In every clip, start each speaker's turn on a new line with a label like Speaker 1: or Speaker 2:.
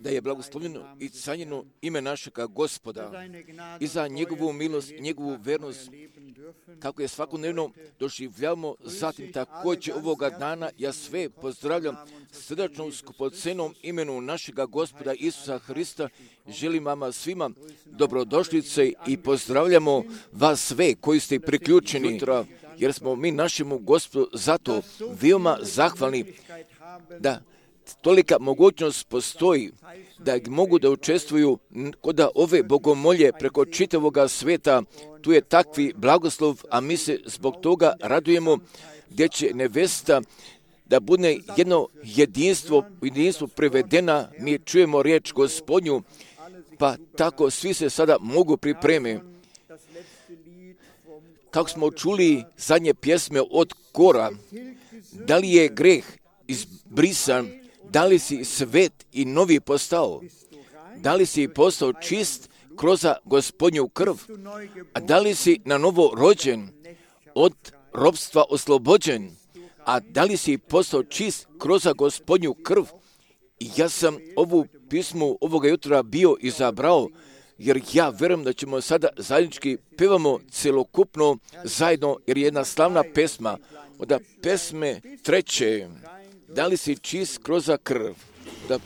Speaker 1: da je blagoslovljeno i canjeno ime našega Gospoda i za njegovu milost, njegovu vernost, kako je svakodnevno doživljavamo. Zatim također ovoga dana ja sve pozdravljam srdačno u skupocenom imenu našega Gospoda Isusa Hrista. Želim vama svima dobrodošlice i pozdravljamo vas sve koji ste priključeni, jer smo mi našemu Gospodu zato veoma zahvalni da tolika mogućnost postoji da mogu da učestvuju kod ove bogomolje preko čitavoga sveta. Tu je takvi blagoslov, a mi se zbog toga radujemo gdje će nevesta da bude jedno jedinstvo prevedena. Mi čujemo riječ Gospodnju, pa tako svi se sada mogu pripremiti. Kako smo čuli zadnje pjesme od Kora, da li je greh izbrisan, da li si svet i novi postao, da li si postao čist kroz Gospodnju krv, a da li si na novo rođen, od ropstva oslobođen, a da li si postao čist kroz Gospodnju krv. I ja sam ovu pismu ovoga jutra bio izabrao, jer ja vjerujem da ćemo sada zajednički pevamo celokupno zajedno, jer je jedna slavna pesma od pesme 3. Da li si čist kroz krv? Da...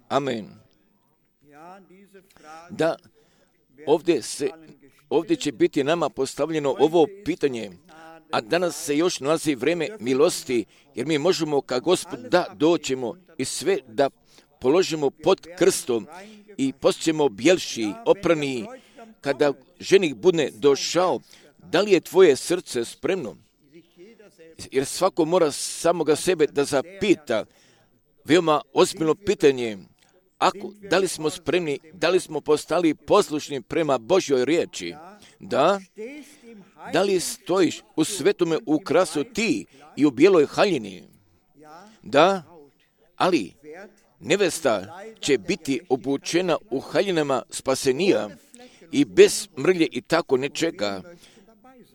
Speaker 1: Amen. Da, ovdje će biti nama postavljeno ovo pitanje, a danas se još nalazi vrijeme milosti, jer mi možemo ka Gospodu da doćemo i sve da položimo pod krstom i postaćemo bjelši, oprani, kada ženih bude došao, da li je tvoje srce spremno? Jer svako mora samoga sebe da zapita, veoma ozbiljno pitanje, da li smo spremni, da li smo postali poslušni prema Božjoj riječi? Da li stojiš u svetome ukrasu ti i u bijeloj haljini? Da, ali nevesta će biti obučena u haljinama spasenija i bez mrlje i tako nečega,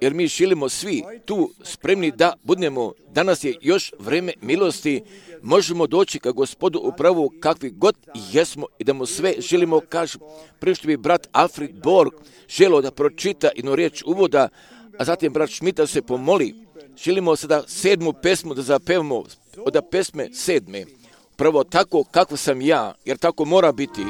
Speaker 1: jer mi želimo svi tu spremni da budemo. Danas je još vreme milosti, možemo doći ka Gospodu upravo kakvi god jesmo i da mu sve želimo kažu. Prije što bi brat Alfred Borg želio da pročita jednu riječ uvoda, a zatim brat Šmita se pomoli, želimo sada 7. pesmu da zapevamo od pesme 7. Prvo tako kako sam ja, jer tako mora biti.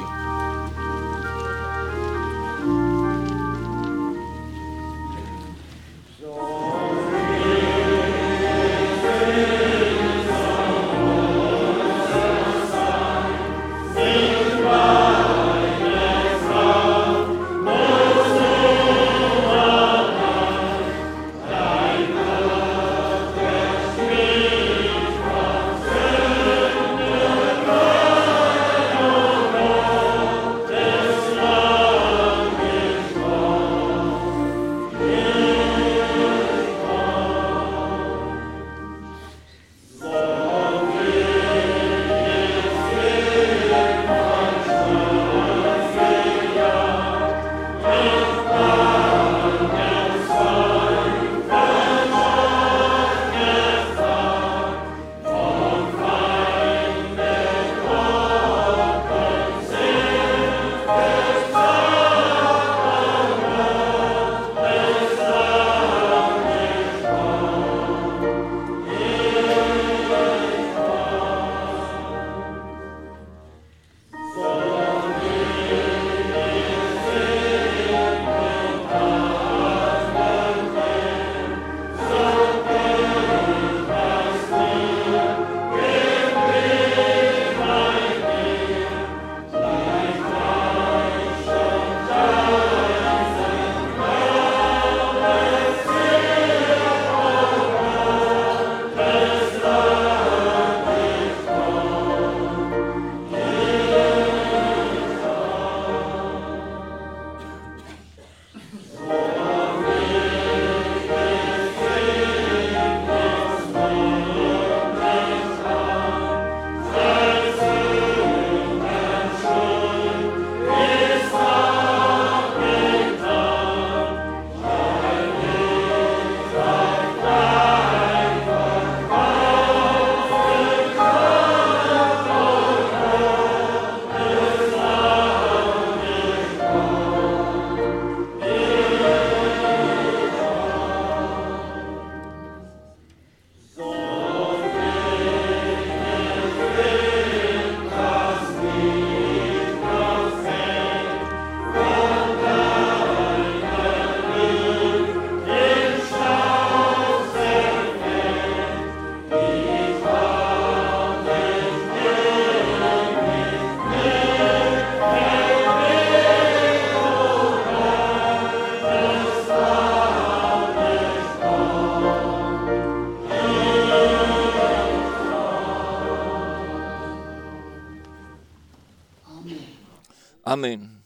Speaker 1: Amen.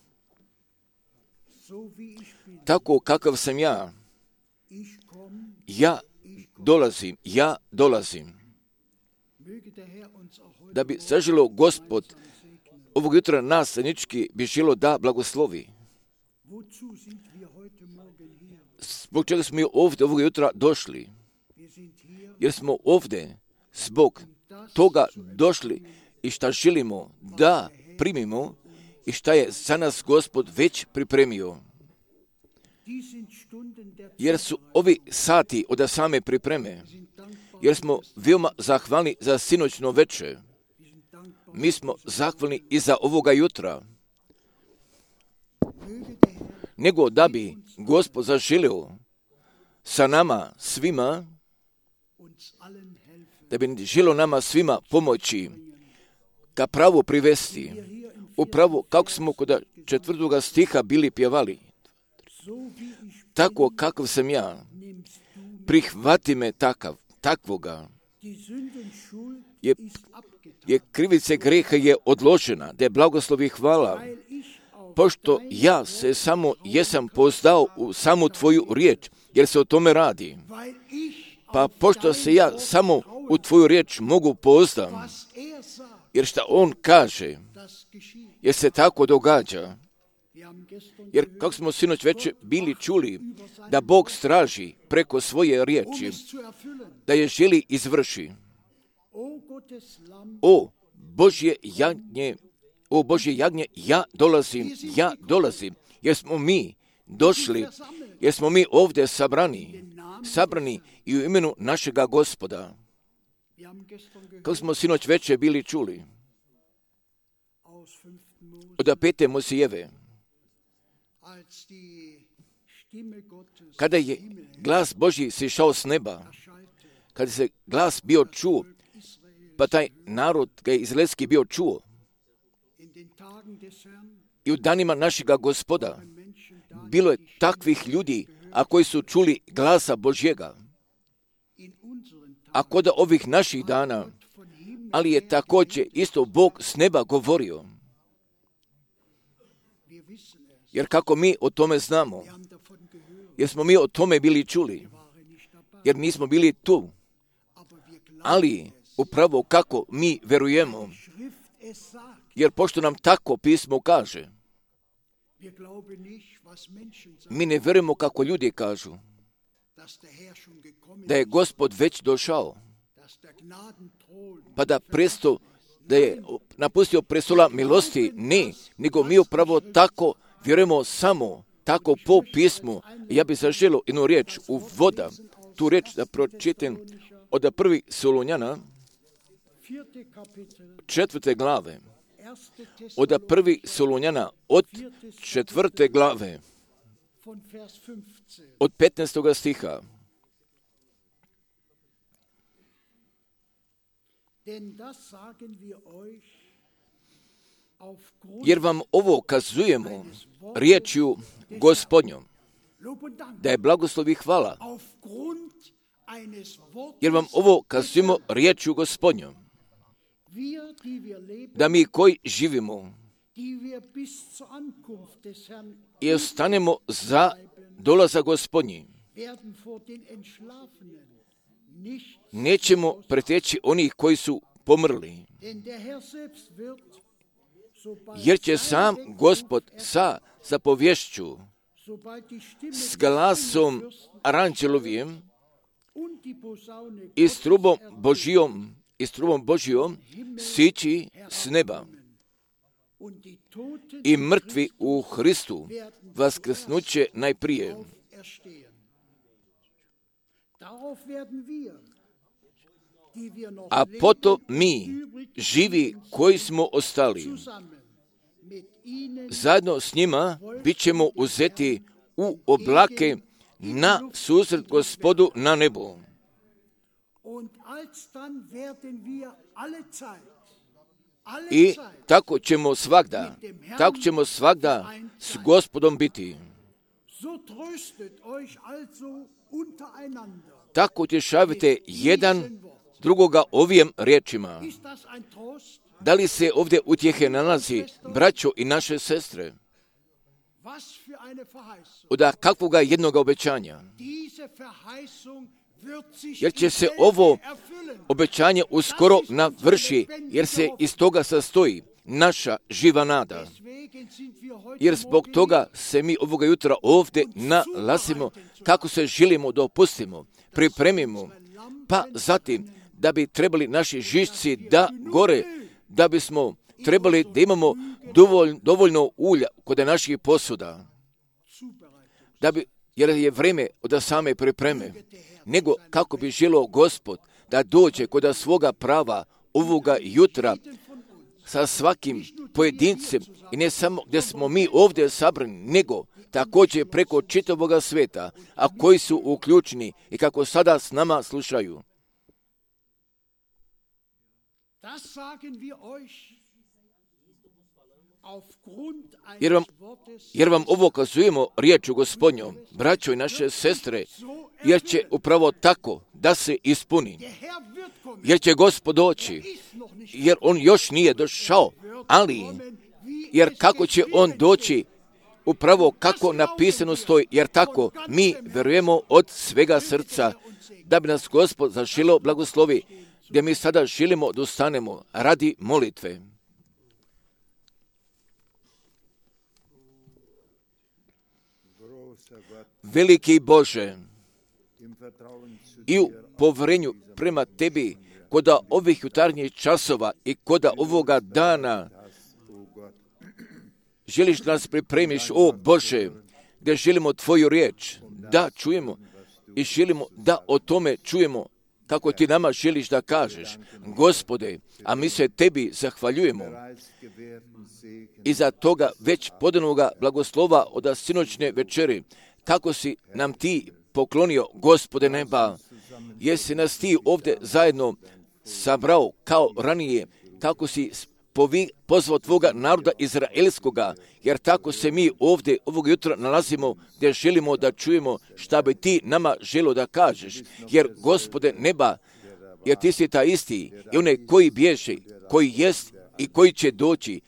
Speaker 1: Tako kakav sam ja, ja dolazim. Da bi zaželio Gospod ovog jutra nas zajednički bi želio da blagoslovi. Zbog čega smo mi ovdje ovog jutra došli? Jer smo ovdje zbog toga došli i šta želimo da primimo i šta je za nas Gospod već pripremio. Jer su ovi sati od same pripreme, jer smo veoma zahvalni za sinoćno večer. Mi smo zahvalni i za ovoga jutra. Nego da bi Gospod zaželio sa nama svima, da bi želio nama svima pomoći ka pravu privesti. Upravo kako smo kod 4. stiha bili pjevali. Tako kakav sam ja, prihvati me takvoga. Je krivice greha je odložena, da je blagoslov i hvala. Pošto ja se samo jesam pozdao u samu tvoju riječ, jer se o tome radi. Pa pošto se ja samo u tvoju riječ mogu pozdam, jer šta on kaže, jer se tako događa. Jer kako smo sinoć već bili čuli, da Bog straži preko svoje riječi, da je želi izvrši. O Božje jagnje, ja dolazim, jer smo mi došli, jer smo mi ovdje sabrani i u imenu našega Gospoda. Kako smo sinoć već bili čuli, od 5. Mojsijeve, kada je glas Božji sišao s neba, kada se glas bio čuo, pa taj narod ga je izraelski bio čuo. I u danima našega Gospoda bilo je takvih ljudi, a koji su čuli glasa Božjega. A kod ovih naših dana, ali je također isto Bog s neba govorio. Jer kako mi o tome znamo, jer smo mi o tome bili čuli, jer nismo bili tu, ali upravo kako mi verujemo, jer pošto nam tako pismo kaže, mi ne verujemo kako ljudi kažu, da je Gospod već došao, pa da je napustio prestola milosti, ne, nego mi upravo tako vjerujemo samo tako po pismu. Ja bih zaželio jednu riječ u voda, tu riječ da pročitam od 1. Solunjana, 4. glave, od 1. Solunjana, od 4. glave, od 15. stiha. Jer vam ovo kazujemo riječju Gospodnjom, da je blagoslov i hvala. Jer vam ovo kazujemo riječju Gospodnjom, da mi koji živimo i ostanemo za dolazak Gospodnji, nećemo preteći onih koji su pomrli. Jer će sam Gospod sa zapovješću, s glasom aranđelovim i s trubom Božijom sići s neba. I mrtvi u Hristu vaskrsnuće najprije. A potom mi, živi koji smo ostali, zajedno s njima bit ćemo uzeti u oblake na susret Gospodu na nebu. I tako ćemo svagda s Gospodom biti. Tako utješavajte jedan drugoga ovim riječima. Da li se ovdje utjehe nalazi, braćo i naše sestre? Od kakvoga jednoga obećanja? Jer će se ovo obećanje uskoro navrši, jer se iz toga sastoji naša živa nada. Jer zbog toga se mi ovoga jutra ovdje nalazimo, kako se želimo da opustimo, pripremimo, pa zatim da bi trebali naši žišci da gore, da bismo trebali da imamo dovoljno ulja kod naših posuda, jer je vrijeme od same pripreme, nego kako bi želio Gospod da dođe kod svoga prava ovoga jutra sa svakim pojedincem i ne samo gdje smo mi ovdje sabrani, nego također preko čitavoga sveta, a koji su uključeni i kako sada s nama slušaju. jer vam ovo kazujemo riječu Gospodnjom, braćo i naše sestre, jer će upravo tako da se ispuni. Jer će Gospod doći, jer on još nije došao, ali jer kako će on doći, upravo kako napisano stoji, jer tako mi verujemo od svega srca, da bi nas Gospod zaželio blagoslovi, gdje mi sada želimo da ustanemo radi molitve. Veliki Bože, i u povjerenju prema Tebi, koda ovih jutarnjih časova i koda ovoga dana, želiš da nas pripremiš, o Bože, gdje želimo Tvoju riječ, da čujemo i želimo da o tome čujemo kako Ti nama želiš da kažeš. Gospode, a mi se Tebi zahvaljujemo i za toga već podanoga blagoslova od sinoćne večeri, kako si nam Ti poklonio, Gospode neba, jesi nas Ti ovdje zajedno sabrao kao ranije, kako si pozvao Tvoga naroda izraelskoga, jer tako se mi ovdje ovog jutra nalazimo, gdje želimo da čujemo šta bi Ti nama želio da kažeš, jer Gospode neba, jer Ti si ta isti i onaj koji bježe, koji jest i koji će doći,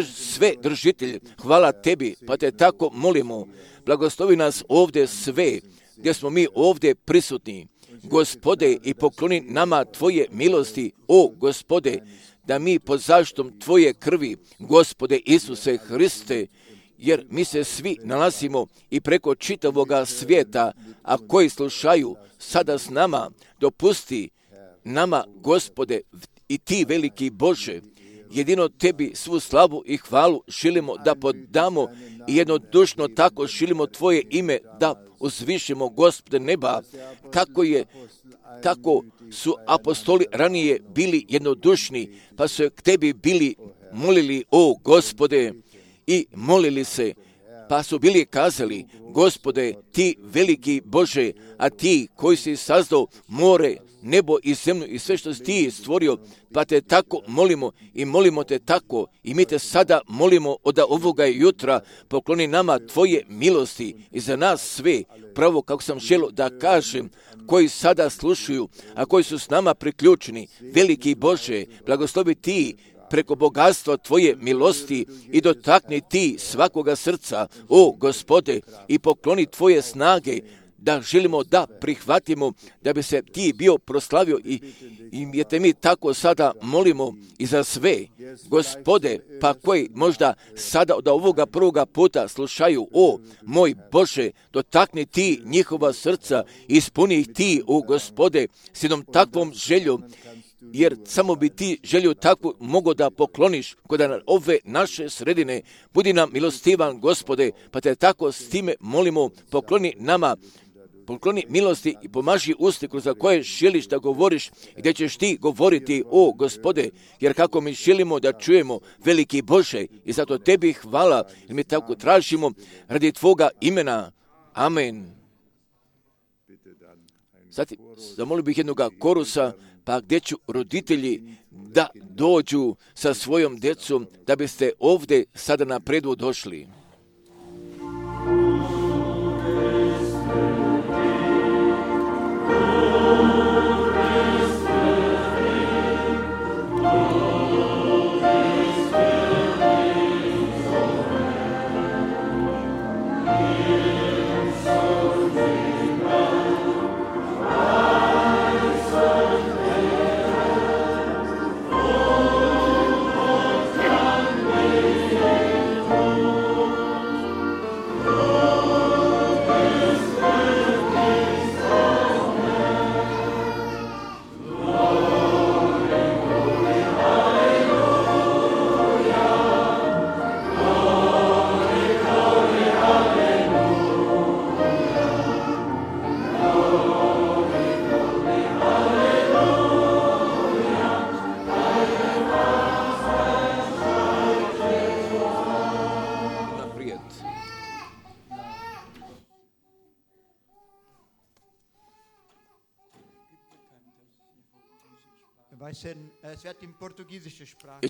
Speaker 1: sve držitelj, hvala Tebi, pa Te tako molimo, blagoslovi nas ovdje sve, gdje smo mi ovdje prisutni, Gospode, i pokloni nama Tvoje milosti, o Gospode, da mi pod zaštitom Tvoje krvi, Gospode Isuse Hriste, jer mi se svi nalazimo i preko čitavoga svijeta, a koji slušaju sada s nama, dopusti nama, Gospode, i Ti veliki Bože, jedino Tebi svu slavu i hvalu želimo da podamo i jednodušno tako želimo Tvoje ime da uzvišimo, Gospode neba, kako su apostoli ranije bili jednodušni, pa su k Tebi bili molili, o Gospode, i molili se, pa su bili kazali, Gospode, Ti veliki Bože, a Ti koji si sazdao more, nebo i zemlju i sve što si Ti stvorio, pa Te tako molimo i molimo Te tako i mi Te sada molimo od ovoga jutra, pokloni nama Tvoje milosti i za nas sve, pravo kako sam želio da kažem, koji sada slušaju, a koji su s nama priključeni, veliki Bože, blagoslovi Ti preko bogatstva Tvoje milosti i dotakni Ti svakoga srca, o Gospode, i pokloni Tvoje snage, da želimo da prihvatimo, da bi se Ti bio proslavio i te mi tako sada molimo i za sve, Gospode, pa koji možda sada od ovoga prvoga puta slušaju, o moj Bože, dotakni Ti njihova srca, ispuni ih Ti, o Gospode, s jednom takvom željom, jer samo bi Ti želju takvu mogo da pokloniš kod ove naše sredine. Budi nam milostivan, Gospode, pa Te tako s time molimo, pokloni milosti i pomaži usti kroz koje želiš da govoriš i gdje ćeš Ti govoriti, o Gospode, jer kako mi želimo da čujemo, veliki Bože, i zato Tebi hvala, jer mi tako tražimo radi Tvoga imena. Amen. Zatim, zamolio bih jednoga korusa, pa gdje ću roditelji da dođu sa svojom djecom, da biste ovdje sada na predu došli.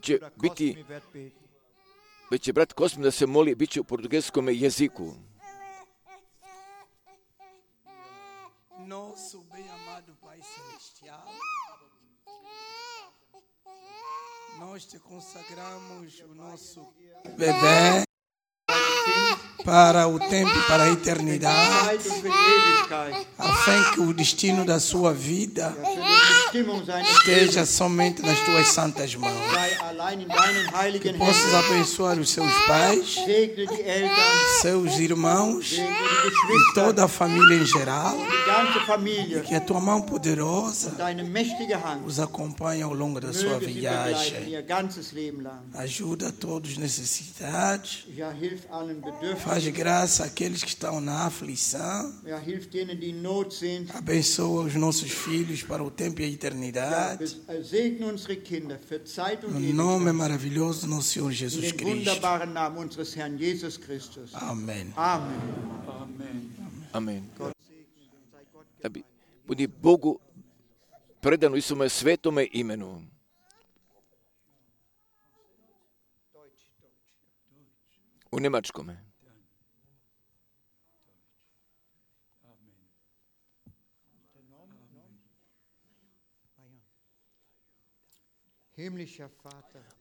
Speaker 1: Će biti već će brat Kosmin da se moli, bit će u portugalskom jeziku.
Speaker 2: Nosso bem amado Pai Celestial, nós te consagramos o nosso bebê para o tempo, para a eternidade, a fim que o destino da sua vida esteja somente nas tuas santas mãos. Que possas abençoar os seus pais, seus irmãos e toda a família em geral. E que a tua mão poderosa os acompanhe ao longo da sua viagem. Ajuda a todos os necessitados. Faz graça àqueles que estão na aflição. Abençoa os nossos filhos para o tempo e a eternidade. No nome maravilhoso do nosso Senhor Jesus Cristo. Amém.
Speaker 1: Amen. Da bi budi Bogu predano i svome svetome imenu. U njemačkome.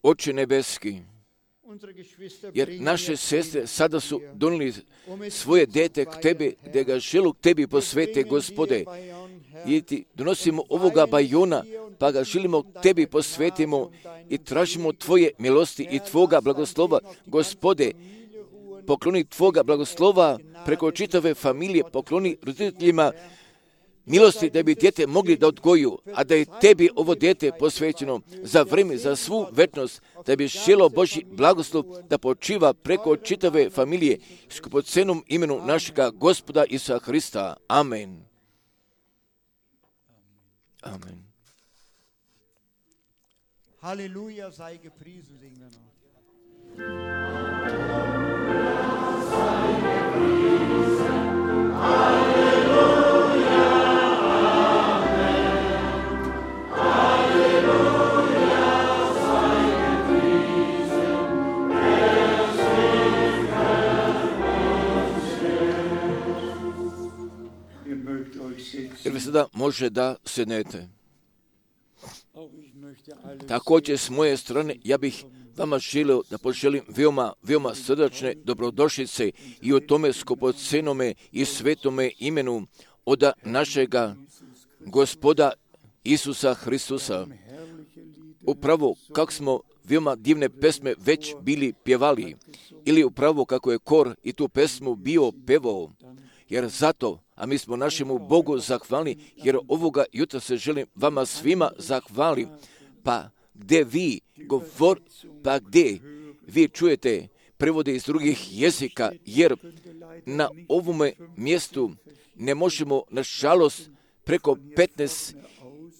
Speaker 1: Oče nebeski, jer naše sestre sada su donijeli svoje dete k Tebi, da ga želu k Tebi posvete, Gospode. I Ti donosimo ovoga bajona, pa ga želimo k Tebi posvetimo i tražimo Tvoje milosti i Tvoga blagoslova, Gospode. Pokloni Tvoga blagoslova preko čitave familije, pokloni roditeljima milosti da bi dijete mogli da odgoju, a da je Tebi ovo dijete posvećeno za vrijeme, za svu večnost, da bi želo Božji blagoslov da počiva preko čitave familije s skupocenom imenu našega Gospoda Isusa Hrista. Amen. Amen.
Speaker 3: Halleluja, sei gepriesen, singen wir noch.
Speaker 1: Jer vi sada može da sednete. Također s moje strane ja bih vama želio da poželim veoma srdačne dobrodošlice i o tome skupocenome i svetome imenu od našega Gospoda Isusa Hristusa. Upravo kako smo veoma divne pesme već bili pjevali, ili upravo kako je kor i tu pesmu bio pevao, jer zato, a mi smo našemu Bogu zahvalni, jer ovoga jutra se želim vama svima zahvalim, pa gdje vi čujete prevode iz drugih jezika, jer na ovome mjestu ne možemo, nažalost, preko 15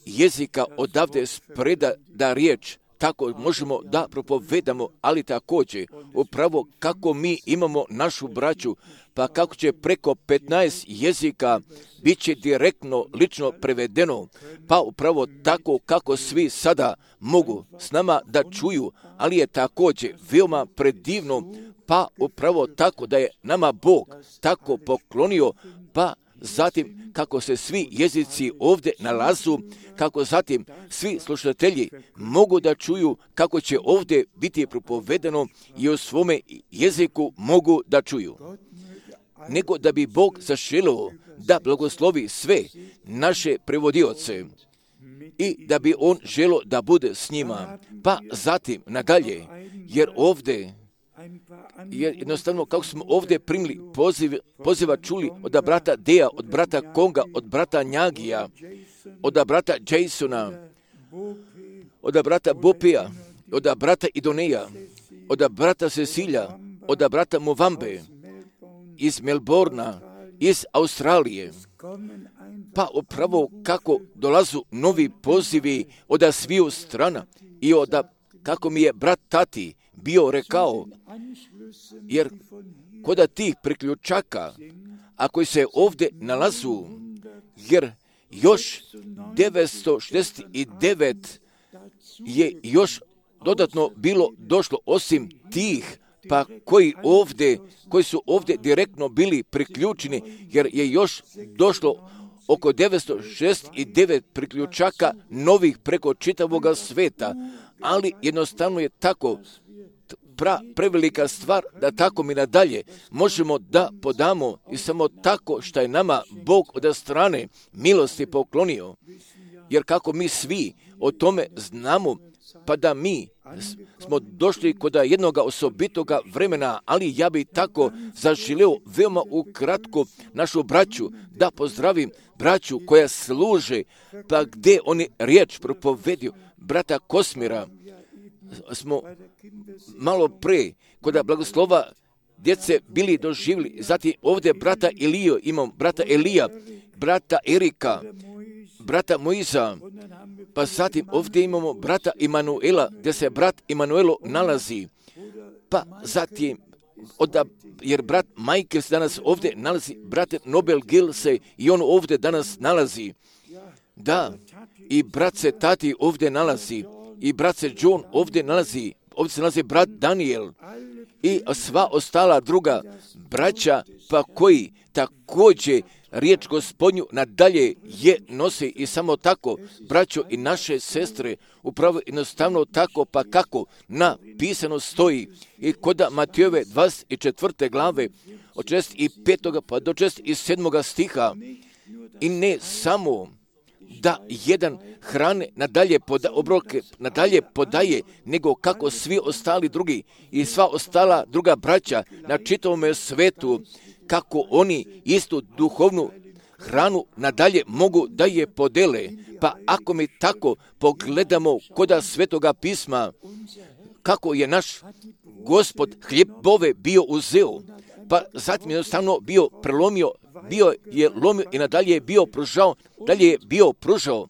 Speaker 1: jezika odavde spreda da riječ, tako možemo da propovedamo, ali također, upravo kako mi imamo našu braću, pa kako će preko 15 jezika bit će direktno, lično prevedeno, pa upravo tako kako svi sada mogu s nama da čuju, ali je također veoma predivno, pa upravo tako da je nama Bog tako poklonio, pa zatim kako se svi jezici ovdje nalazu, kako zatim svi slušatelji mogu da čuju kako će ovdje biti propovedano i u svome jeziku mogu da čuju. Nego da bi Bog zaželio da blagoslovi sve naše prevodioce i da bi On želio da bude s njima. Pa zatim nadalje, jer ovdje jednostavno kako smo ovdje primili poziva čuli od brata Deja, od brata Konga, od brata Njagija, od brata Jasona, od brata Bopija, od brata Idoneja, od brata Cecilja, od brata Movambe, iz Melbourna, iz Australije. Pa upravo kako dolazu novi pozivi od sviju strana i od kako mi je brat Tati bio rekao, jer kod tih priključaka, a koji se ovdje nalazu, jer još 969 je još dodatno bilo došlo osim tih pa koji su ovdje direktno bili priključeni, jer je još došlo oko 969 priključaka novih preko čitavoga sveta, ali jednostavno je tako prevelika stvar da tako mi nadalje možemo da podamo i samo tako što je nama Bog od strane milosti poklonio. Jer kako mi svi o tome znamo, pa da mi smo došli kod jednoga osobitoga vremena, ali ja bi tako zaželio veoma ukratko našu braću da pozdravim braću koja služe, pa gdje oni riječ propovedio brata Kosmira. Smo malo pre kod blagoslova djece bili doživjeli, zatim ovdje brata Eliju, imam brata Elija, brata Erika, brata Moiza, pa zatim ovdje imamo brata Imanuela, gdje se brat Imanuelo nalazi, pa zatim, jer brat Michael se danas ovdje nalazi, brat Nobel Gil se i on ovdje danas nalazi, da, i brat se Tati ovdje nalazi, i brat se John ovdje nalazi, ovdje se nalazi brat Daniel i sva ostala druga braća, pa koji također riječ Gospodnju nadalje je nosi i samo tako, braćo i naše sestre, upravo jednostavno tako, pa kako napisano stoji i kod Matejove 24. glave od 65. pa do 67. stiha, i ne samo da jedan hrane nadalje obroke nadalje podaje, nego kako svi ostali drugi i sva ostala druga braća na čitavom svetu, kako oni istu duhovnu hranu nadalje mogu da je podele. Pa ako mi tako pogledamo koda Svetoga pisma, kako je naš Gospod hljebove bio uzeo, pa zatim jednostavno bio prelomio, bio je lomio i nadalje je bio pružao,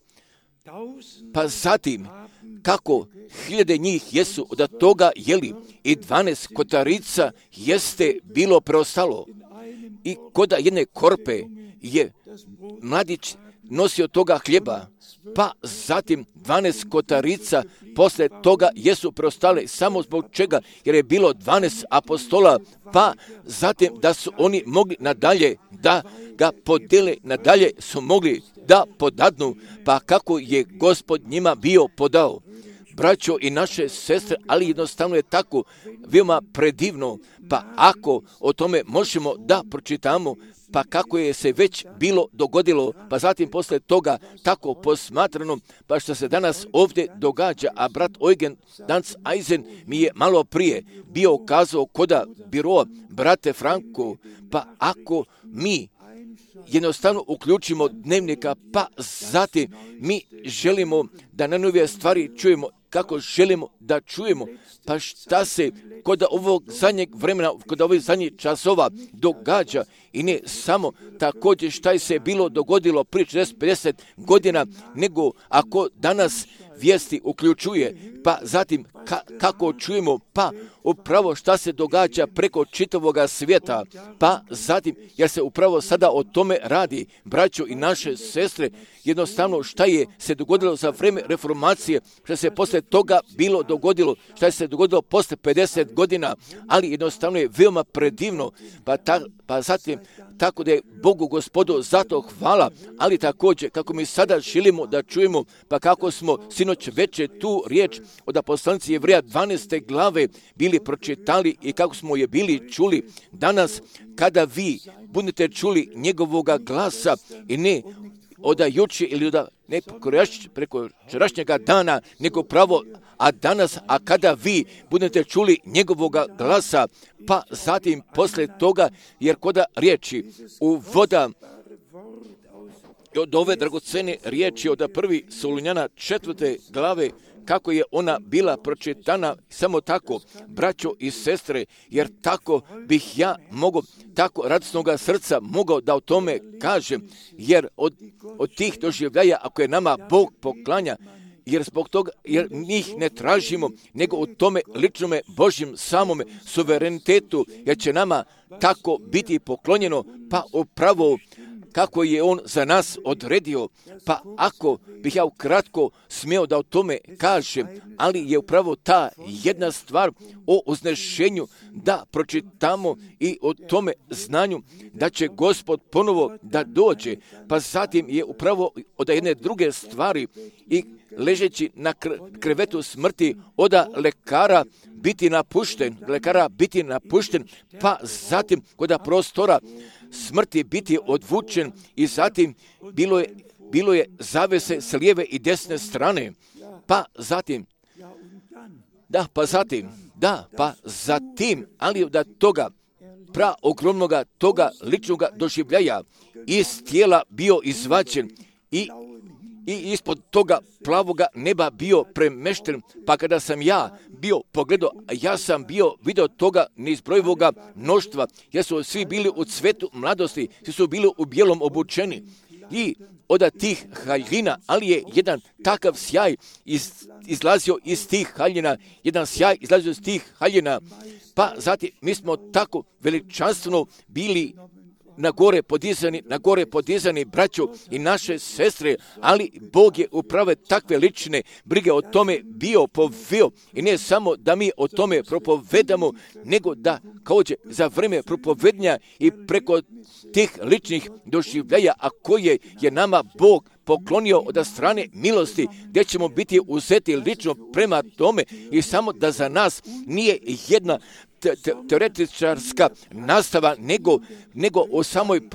Speaker 1: pa zatim kako 1000 njih jesu od toga jeli i 12 kotarica jeste bilo preostalo. I koda jedne korpe je mladić nosio toga hljeba, pa zatim 12 kotarica posle toga jesu preostale samo zbog čega, jer je bilo 12 apostola, pa zatim da su oni mogli nadalje da ga podele, nadalje su mogli da podadnu, pa kako je Gospod njima bio podao. Braćo i naše sestre, ali jednostavno je tako veoma predivno, pa ako o tome možemo da pročitamo, pa kako je se već bilo dogodilo, pa zatim posle toga tako posmatrano, pa što se danas ovdje događa, a brat Eugen Danz Eisen mi je malo prije bio kazao koda biroa brate Franko, pa ako mi jednostavno uključimo dnevnika, pa zatim mi želimo da najnovije stvari čujemo, kako želimo da čujemo, pa šta se kod ovog zadnjeg vremena, kod ovih zadnjih časova događa, i ne samo također šta je se bilo dogodilo prije 40-50 godina, nego ako danas vijesti uključuje, pa zatim kako čujemo, pa upravo šta se događa preko čitavoga svijeta, pa zatim, jer se upravo sada o tome radi, braćo i naše sestre, jednostavno šta je se dogodilo za vreme reformacije, šta se posle toga bilo dogodilo, šta je se dogodilo posle 50 godina, ali jednostavno je veoma predivno, pa zatim, tako da je Bogu Gospodu zato hvala, ali također kako mi sada želimo da čujemo, pa kako smo sinoć veče tu riječ od poslanici Jevreja 12. glave bili pročitali i kako smo je bili čuli danas, kada vi budete čuli njegovoga glasa i ne od juče ili ne preko včerašnjega dana, nego pravo, a danas, a kada vi budete čuli njegovoga glasa, pa zatim posle toga, jer koda riječi u voda od ove dragocene riječi od 1. Solunjana 4. glave, kako je ona bila pročitana, samo tako, braćo i sestre, jer tako bih ja mogao, tako radosnoga srca mogao da o tome kažem, jer od tih doživljaja, ako je nama Bog poklanja, jer zbog toga, jer njih ne tražimo, nego u tome ličnome Božjem samome suverenitetu, jer će nama tako biti poklonjeno, pa upravo kako je on za nas odredio. Pa ako bih ja ukratko smio da o tome kažem, ali je upravo ta jedna stvar o uznešenju da pročitamo i o tome znanju da će Gospod ponovo da dođe. Pa zatim je upravo od jedne druge stvari i ležeći na krevetu smrti od lekara biti napušten, pa zatim kod prostora smrti biti odvučen i zatim bilo je zavese s lijeve i desne strane. Pa zatim, ali od toga ogromnoga toga ličnoga doživljaja iz tijela bio izvađen i ispod toga plavoga neba bio premešten, pa kada sam ja bio pogledao, ja sam bio vidio toga neizbrojivoga mnoštva, jer su svi bili u cvetu mladosti, svi su bili u bijelom obučeni i od tih haljina, ali je jedan takav sjaj izlazio iz tih haljina, pa zatim mi smo tako veličanstveno bili na gore podizani braćo i naše sestre, ali Bog je upravo takve lične brige o tome bio poveo i ne samo da mi o tome propovedamo, nego da kaođe za vreme propovednja i preko tih ličnih doživljaja, a koje je nama Bog poklonio od strane milosti, gdje ćemo biti uzeti lično prema tome i samo da za nas nije jedna teoretičarska nastava, nego u samoj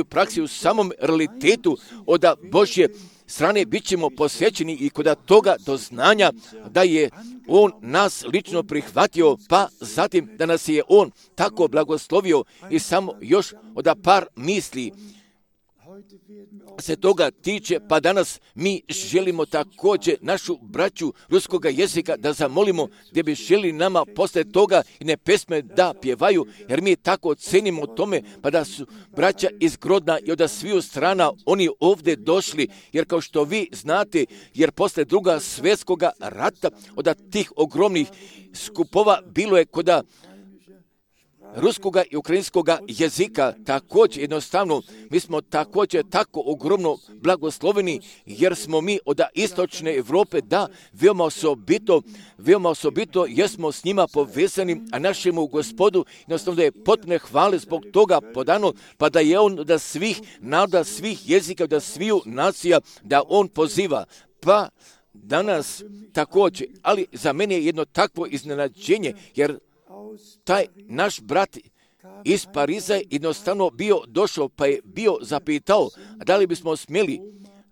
Speaker 1: praksi, u samom realitetu od Božje strane bit ćemo posvećeni i kod toga doznanja da je On nas lično prihvatio, pa zatim da nas je On tako blagoslovio i samo još od par misli se toga tiče, pa danas mi želimo također našu braću ruskoga jezika da zamolimo gdje bi želi nama posle toga i ne pesme da pjevaju, jer mi tako cenimo tome, pa da su braća iz Grodna i od sviju strana oni ovdje došli, jer kao što vi znate, jer posle Druga svjetskoga rata od tih ogromnih skupova bilo je kod ruskoga i ukrajinskoga jezika. Također jednostavno mi smo također tako ogromno blagosloveni, jer smo mi od istočne Europe veoma osobito jesmo s njima povezani, a našemu Gospodu jednostavno da je potpune hvale zbog toga podano, pa da je On od svih naroda, svih jezika, od sviju nacija da On poziva. Pa danas također, ali za mene je jedno takvo iznenađenje, jer taj naš brat iz Pariza je jednostavno došao, pa je bio zapitao da li bismo smjeli,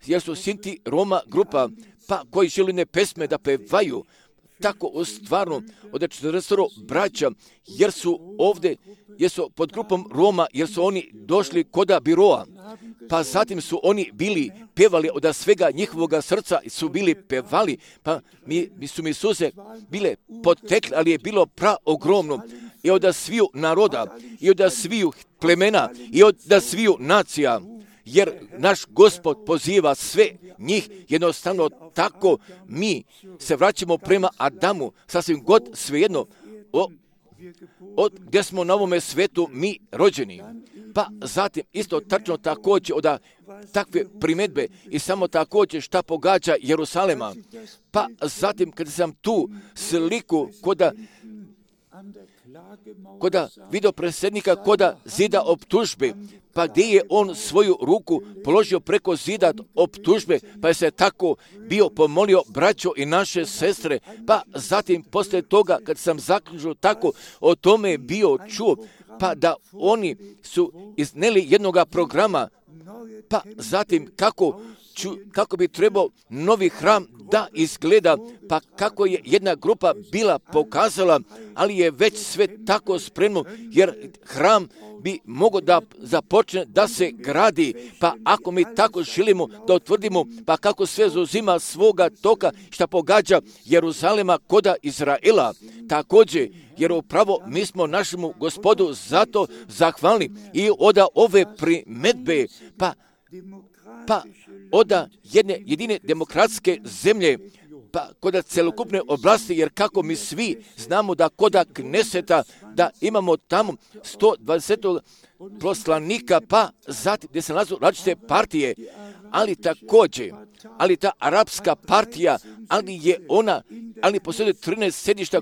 Speaker 1: jer su Sinti Roma grupa, pa koji želi ne pesme da pevaju, tako stvarno od 40 braća, jer su pod grupom Roma, jer su oni došli koda biroa, pa zatim su oni bili pevali od svega njihovoga srca, su bili pevali, pa mi suze bile potekle, ali je bilo praogromno i od sviju naroda, i od sviju plemena, i od sviju nacija, jer naš Gospod poziva sve njih, jednostavno tako mi se vraćamo prema Adamu, sasvim god svejedno, od gdje smo na ovome svetu mi rođeni. Pa zatim isto tačno također od takve primjedbe i samo također šta pogađa Jerusalema. Pa zatim kada sam tu sliku koda videopredsjednika koda zida optužbe, pa gdje je on svoju ruku položio preko zida optužbe, pa je se tako bio pomolio braćo i naše sestre, pa zatim poslije toga kad sam zaključio tako o tome bio čuo, pa da oni su izneli jednoga programa, pa zatim kako bi trebao novi hram da izgleda, pa kako je jedna grupa bila pokazala, ali je već sve tako spremno, jer hram bi mogao da započne da se gradi, pa ako mi tako želimo da utvrdimo, pa kako sve zauzima svoga toka šta pogađa Jeruzalema koda Izraela, također, jer upravo mi smo našemu Gospodu zato zahvalni i od ove primedbe, pa od jedne jedine demokratske zemlje, pa kod celokupne oblasti, jer kako mi svi znamo da kod Kneseta da imamo tamo 120 poslanika, pa zatim gdje se nalazu različite partije, ali također, ali ta arapska partija, ali postoje 13 sedišta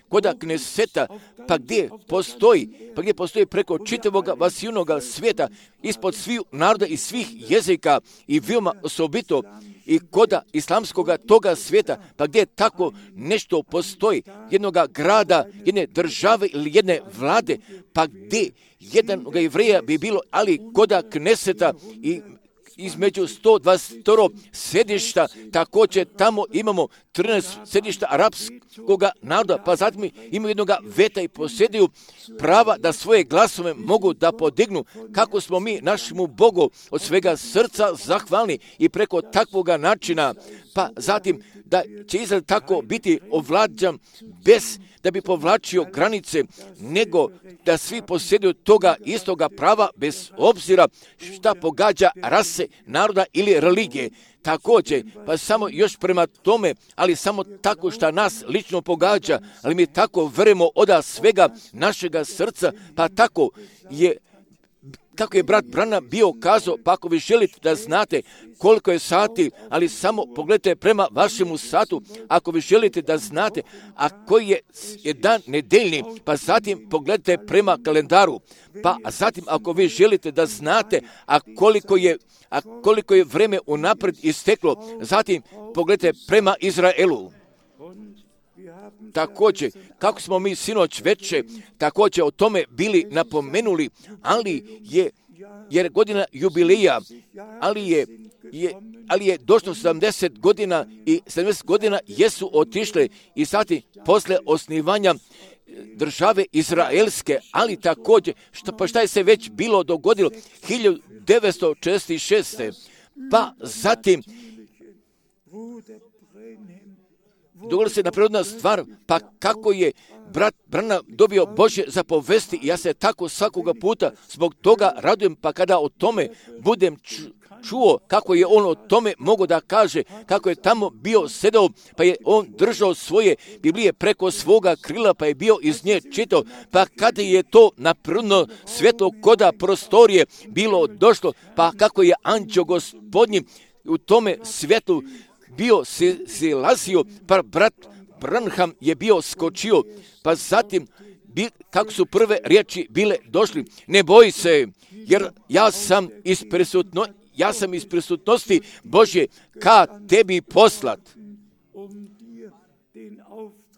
Speaker 1: kod Kneseta, pa gdje postoji preko čitavog vasijunog svijeta, ispod svih naroda i svih jezika i veoma osobito i kod islamskog toga svijeta, pa gdje tako nešto postoji, jednog grada, jedne države ili jedne vlade, pa gdje jednog Jevreja bi bilo, ali kod Kneseta i između 122 sedišta, također tamo imamo 13 sedišta arapskog naroda, pa zatim imaju jednog veta i posjeduju prava da svoje glasove mogu da podignu. Kako smo mi našemu Bogu od svega srca zahvalni i preko takvog načina, pa zatim da će Izrael tako biti ovlađan bez da bi povlačio granice, nego da svi posjeduju toga istoga prava bez obzira šta pogađa rase, naroda ili religije. Također, pa samo još prema tome, ali samo tako što nas lično pogađa, ali mi tako verujemo od svega našega srca, pa tako je, kako je brat Branham bio kazao, pa ako vi želite da znate koliko je sati, ali samo pogledajte prema vašemu satu, ako vi želite da znate, a koji je dan nedeljni, pa zatim pogledajte prema kalendaru, pa zatim ako vi želite da znate, a koliko je vreme unaprijed isteklo, zatim pogledajte prema Izraelu. Također, kako smo mi sinoć veče također o tome bili napomenuli, jer godina jubileja, ali je došlo 70 godina i 70 godina jesu otišle i sati posle osnivanja države izraelske, ali također, šta je se već bilo dogodilo 1946. Pa zatim dogodila se naprirodna stvar, pa kako je brat Branham dobio Božje zapovesti, ja se tako svakoga puta zbog toga radujem, pa kada o tome budem čuo kako je on o tome mogao da kaže, kako je tamo bio sedao, pa je on držao svoje Biblije preko svoga krila, pa je bio iz nje čitao, pa kada je to naprirodno svjetlo koda prostorije bilo došlo, pa kako je anđeo gospodnji u tome svjetlu bio silazio, pa brat Branham je bio skočio, pa zatim kako su prve riječi bile došli, ne boj se, jer ja sam iz prisutnosti Božje ka tebi poslat,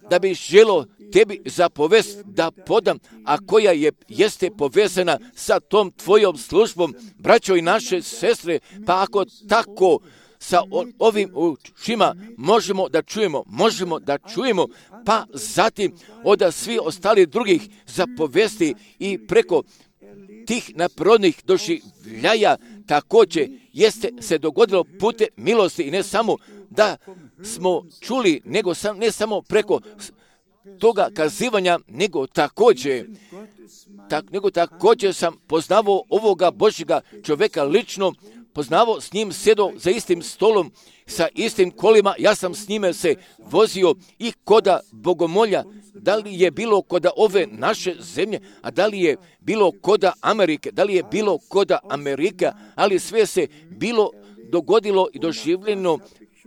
Speaker 1: da bi želo tebi zapovest da podam, a koja jeste povezana sa tom tvojom službom, braćo i naše sestre, pa ako tako sa ovim ušima možemo da čujemo, pa zatim od svih ostalih drugih zapovesti i preko tih naprirodnih doživljaja također jeste se dogodilo putem milosti i ne samo da smo čuli, ne samo preko toga kazivanja, nego također sam poznavao ovoga Božjega čovjeka lično, poznavao, s njim sjedao za istim stolom, sa istim kolima, ja sam s njime se vozio i koda bogomolja, da li je bilo koda ove naše zemlje, a da li je bilo koda Amerike, ali sve se bilo dogodilo i doživljeno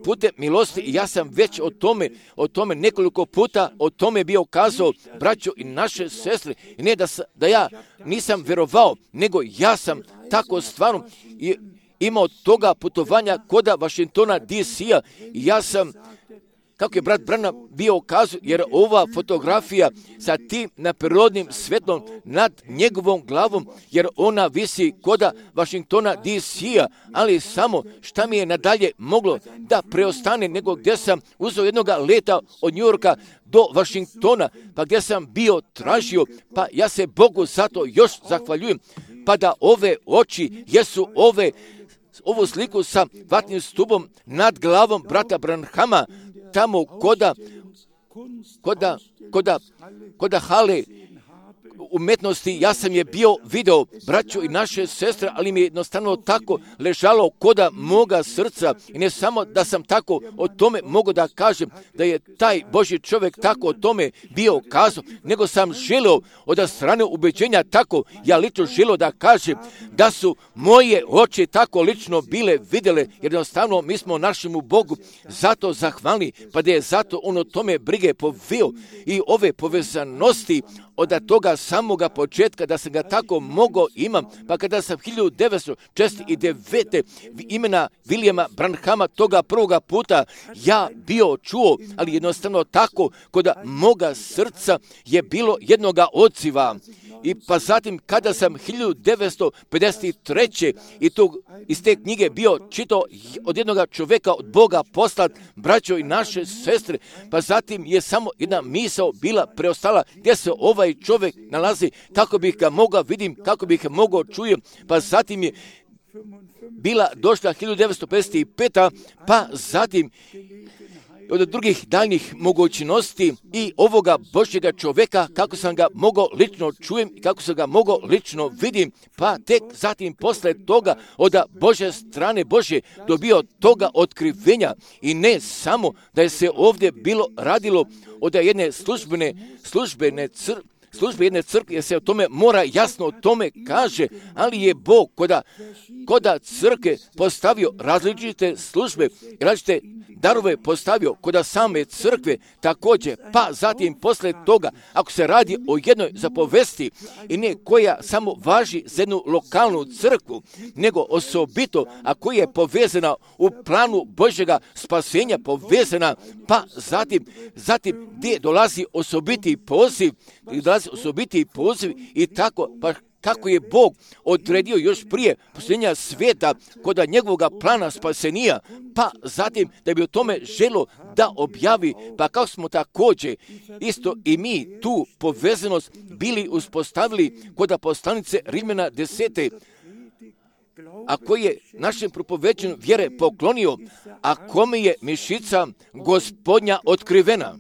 Speaker 1: putem milosti i ja sam već o tome nekoliko puta o tome bio kazao, braćo i naše sestre, i ne da ja nisam vjerovao, nego ja sam tako stvarno imao toga putovanja koda Washingtona DC-a i ja sam, kako je brat Branham bio kazao, jer ova fotografija sa tim naprirodnim svetlom nad njegovom glavom, jer ona visi koda Washingtona DC-a, ali samo šta mi je nadalje moglo da preostane, nego gdje sam uzeo jednog leta od New Yorka do Washingtona, pa gdje sam bio tražio, pa ja se Bogu zato još zahvaljujem, pa da ove oči jesu ovu sliku sa vatnim stubom nad glavom brata Branhama, tamo koda hale, umetnosti, ja sam je bio video, braću i naše sestre, ali mi je jednostavno tako ležalo koda moga srca i ne samo da sam tako o tome mogu da kažem da je taj Božji čovjek tako o tome bio kazao, nego sam želio od strane ubeđenja tako, ja lično želio da kažem da su moje oči tako lično bile vidjele, jer jednostavno mi smo našemu Bogu zato zahvalni, pa da je zato on o tome brige povio i ove povezanosti od toga samoga početka da sam ga tako mogao imam, pa kada sam 1969. imena Vilijama Branhama toga prvoga puta ja bio čuo, ali jednostavno tako kod moga srca je bilo jednoga odziva. I pa zatim kada sam 1953. i iz te knjige bio čitao od jednoga čovjeka od Boga poslat, braćo i naše sestre, pa zatim je samo jedna misao bila preostala gdje se ovaj čovjek nalazi, kako bih ga mogao vidim, kako bih ga mogao čujem, pa zatim je bila došla 1955. pa zatim od drugih daljnjih mogućnosti i ovoga Božjega čovjeka, kako sam ga mogao lično čujem i kako sam ga mogao lično vidim, pa tek zatim posle toga od Božje strane Božje dobio toga otkrivenja i ne samo da je se ovdje bilo radilo od jedne službe jedne crkve, jer se o tome mora jasno o tome kaže, ali je Bog koda crkve postavio različite službe, različite darove postavio koda same crkve također, pa zatim posle toga, ako se radi o jednoj zapovesti i ne koja samo važi za jednu lokalnu crkvu, nego osobito, a koja je povezana u planu Božjega spasenja, povezana, pa zatim gdje dolazi osobiti poziv i tako, pa kako je Bog odredio još prije posljednja svijeta kod njegovoga plana spasenija, pa zatim da bi o tome želo da objavi, pa kako smo također isto i mi tu povezanost bili uspostavili kod poslanice Rimljana 10. a koji je našem propoveđenju vjere poklonio, a kome je mišica Gospodnja otkrivena.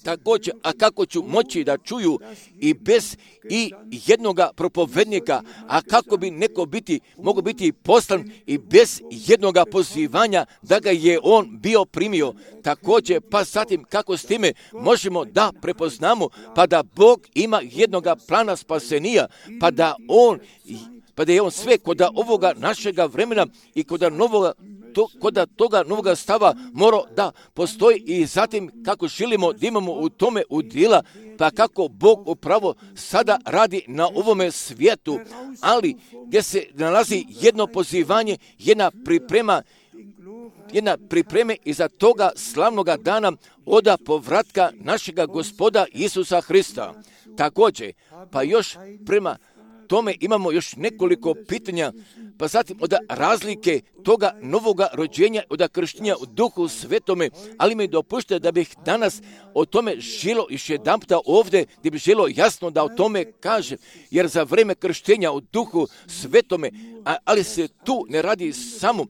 Speaker 1: Također, a kako ću moći da čuju i bez i jednoga propovednika, a kako bi neko mogao biti poslan i bez jednoga pozivanja da ga je on bio primio. Također, pa zatim kako s time možemo da prepoznamo, pa da Bog ima jednoga plana spasenija, pa da je on sve kod ovoga našega vremena i kod toga novoga stava mora da postoji i zatim kako želimo da imamo u tome udjela, pa kako Bog upravo sada radi na ovome svijetu, ali gdje se nalazi jedno pozivanje, jedna pripreme iza toga slavnoga dana od povratka našega Gospoda Isusa Hrista. Također, pa još prema tome imamo još nekoliko pitanja, pa zatim od razlike toga novoga rođenja, od krštenja u Duhu Svetome, ali mi dopušte da bih danas o tome želo još jedanputa ovdje, gdje bih želo jasno da o tome kažem, jer za vrijeme krštenja u Duhu Svetome, ali se tu ne radi samo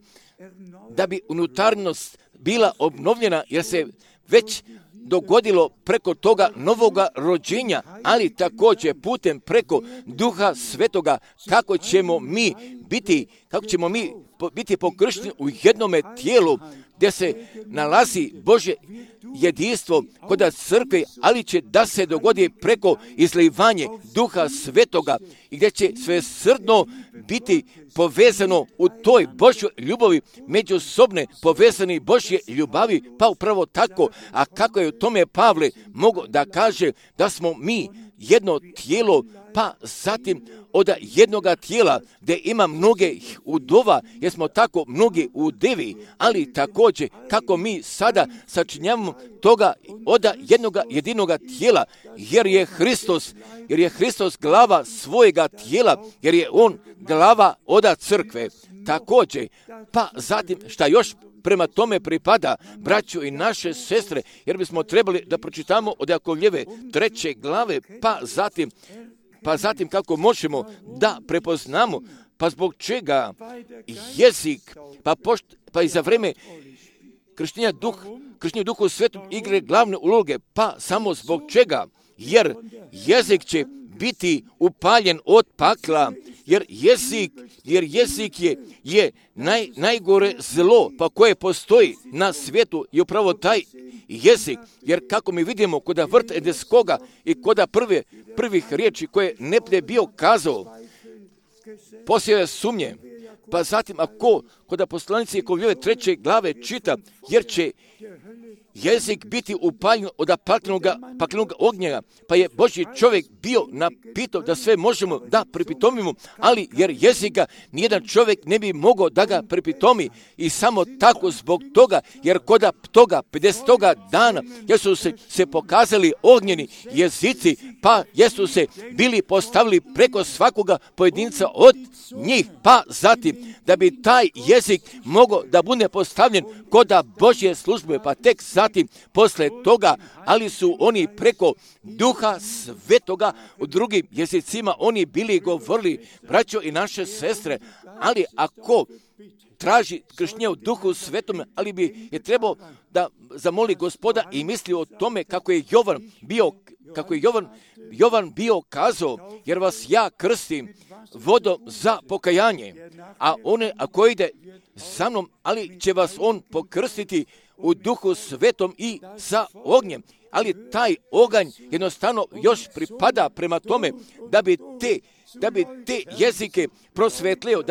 Speaker 1: da bi unutarnost bila obnovljena, jer se već dogodilo preko toga novoga rođenja, ali također putem preko Duha Svetoga, kako ćemo mi biti pokršteni u jednome tijelu gdje se nalazi Božje jedinstvo kod crkve, ali će da se dogodi preko izlivanje Duha Svetoga i gdje će svesrdno biti povezano u toj Božjoj ljubavi, međusobne povezani Božje ljubavi, pa upravo tako, a kako je u tome Pavle mogao da kaže da smo mi jedno tijelo, pa zatim od jednoga tijela gdje ima mnoge udova, jer smo tako mnogi udevi, ali također kako mi sada sačinjavamo toga od jednoga jedinoga tijela, jer je Hristos glava svojega tijela, jer je on glava od crkve. Također, pa zatim šta još prema tome pripada, braćo i naše sestre, jer bismo trebali da pročitamo od Jakovljeve 3. glave, pa zatim kako možemo da prepoznamo, pa zbog čega jezik, pa i za vreme krštenja Duhu Svetom igre glavne uloge, pa samo zbog čega, jer jezik će biti upaljen od pakla, jer jezik je najgore zlo pa koje postoji na svijetu i upravo taj jezik, jer kako mi vidimo kod vrta Edenskoga i kod prvih riječi koje Neptune bio kazao, posijao sumnje, pa zatim ako kod poslanice Jakovljeve 3. glave čita, jer će jezik biti upaljen od paklenog ognjega, pa je Božji čovjek bio napitao da sve možemo da pripitomimo, ali jer jezika nijedan čovjek ne bi mogao da ga pripitomi i samo tako zbog toga, jer kod toga 50. dana jesu se pokazali ognjeni jezici, pa jesu se bili postavili preko svakoga pojedinca od njih, pa zatim da bi taj jezik mogao da bude postavljen kod Božje službe, pa tek zatim posle toga, ali su oni preko Duha Svetoga u drugim jezicima oni bili govorili, braćo i naše sestre, ali ako traži krštenje u Duhu Svetom, ali bi je trebao da zamoli Gospoda i misli o tome kako je Jovan bio kazao, jer vas ja krstim vodom za pokajanje, a one ako ide sa mnom, ali će vas on pokrstiti u Duhu Svetom i sa ognjem. Ali taj oganj jednostavno još pripada prema tome da bi te jezike prosvetlio,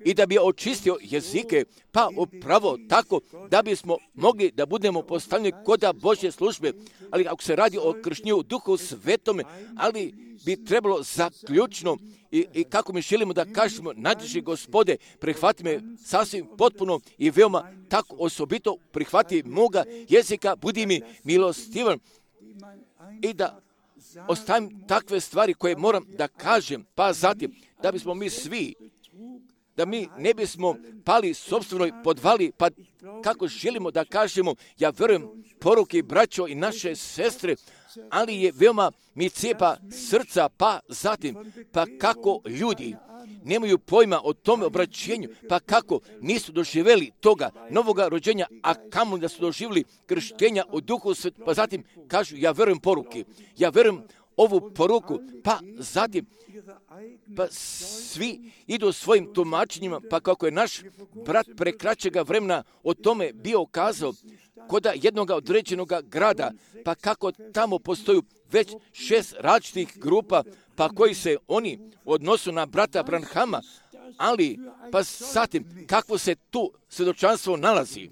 Speaker 1: i da bi očistio jezike, pa upravo tako da bismo mogli da budemo postavljeni kod Božje službe. Ali ako se radi o krštenju u Duhu Svetome, ali bi trebalo zaključno i kako mi želimo da kažemo, najdraži Gospode, prihvati me sasvim potpuno i veoma tako osobito, prihvati moga jezika, budi mi milostivan i da ostavim takve stvari koje moram da kažem, pa zatim da bismo mi svi, da mi ne bismo pali sopstvenoj podvali, pa kako želimo da kažemo, ja verujem poruke braćo i naše sestre, ali je veoma mi cijepa srca, pa zatim, pa kako ljudi nemaju pojma o tome obraćenju, pa kako nisu doživjeli toga novoga rođenja, a kamo da su doživjeli krštenja u Duhu Svetom, pa zatim kažu, ja verujem poruke, ja verujem ovu poruku, pa zatim, pa svi idu svojim tumačenjima, pa kako je naš brat pre kraćega vremena o tome bio kazao, kod jednog određenog grada, pa kako tamo postoju već 6 različitih grupa, pa koji se oni odnosu na brata Branhama, ali pa zatim kakvo se tu svjedočanstvo nalazi,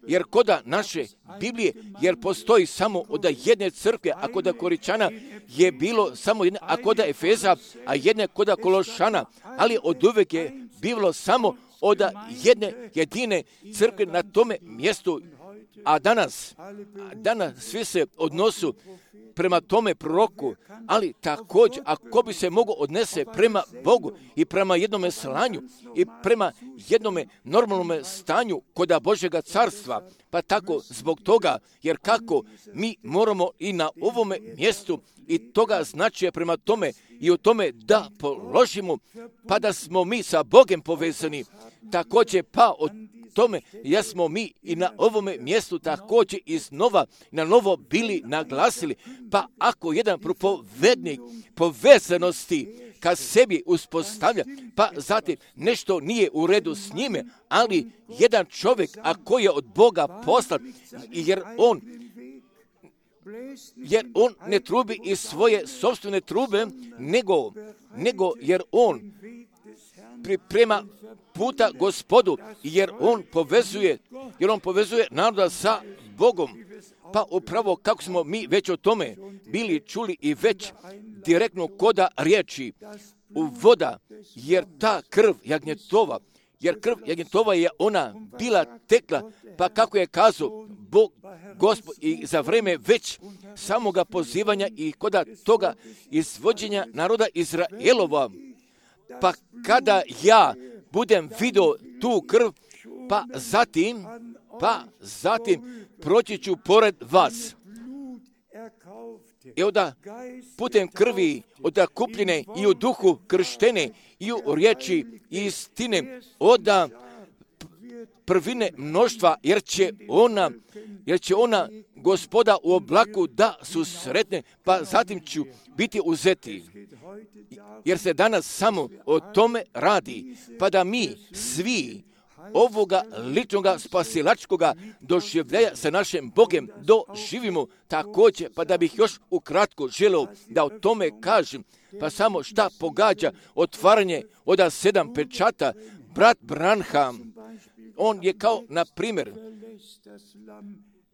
Speaker 1: jer kod naše Biblije, jer postoji samo od jedne crkve, a kod Koričana je bilo samo jedna, a kod Efeza, a jedne kod Kološana, ali od uvek je bilo samo od jedne jedine crkve na tome mjestu, a danas svi se odnosu prema tome proroku, ali također ako bi se mogo odnese prema Bogu i prema jednome slanju i prema jednome normalnome stanju kod Božjega carstva, pa tako zbog toga, jer kako mi moramo i na ovome mjestu i toga znači prema tome i o tome da položimo, pa da smo mi sa Bogom povezani, također pa od tome jesmo mi i na ovome mjestu također iznova na novo bili naglasili, pa ako jedan propovednik povezanosti ka sebi uspostavlja, pa zatim nešto nije u redu s njime, ali jedan čovjek ako je od Boga poslan, jer on ne trubi iz svoje sopstvene trube, nego jer on priprema puta Gospodu, jer on povezuje naroda sa Bogom. Pa upravo kako smo mi već o tome bili čuli i već direktno koda riječi u voda, jer ta krv jagnjetova je ona bila tekla, pa kako je kazao Bog Gospod i za vreme već samoga pozivanja i koda toga izvođenja naroda Izraelova, pa kada ja budem vidio tu krv, pa zatim proći ću pored vas. I onda putem krvi od kupljene i u duhu krštene i u riječi istine, onda prvine mnoštva, jer će ona Gospoda u oblaku da su sretne, pa zatim ću biti uzeti. Jer se danas samo o tome radi, pa da mi svi ovoga ličnoga spasilačkoga doživljaja sa našim Bogem doživimo također, pa da bih još ukratko želeo da o tome kažem, pa samo šta pogađa otvaranje od 7 pečata. Brat Branham, on je kao, na primjer,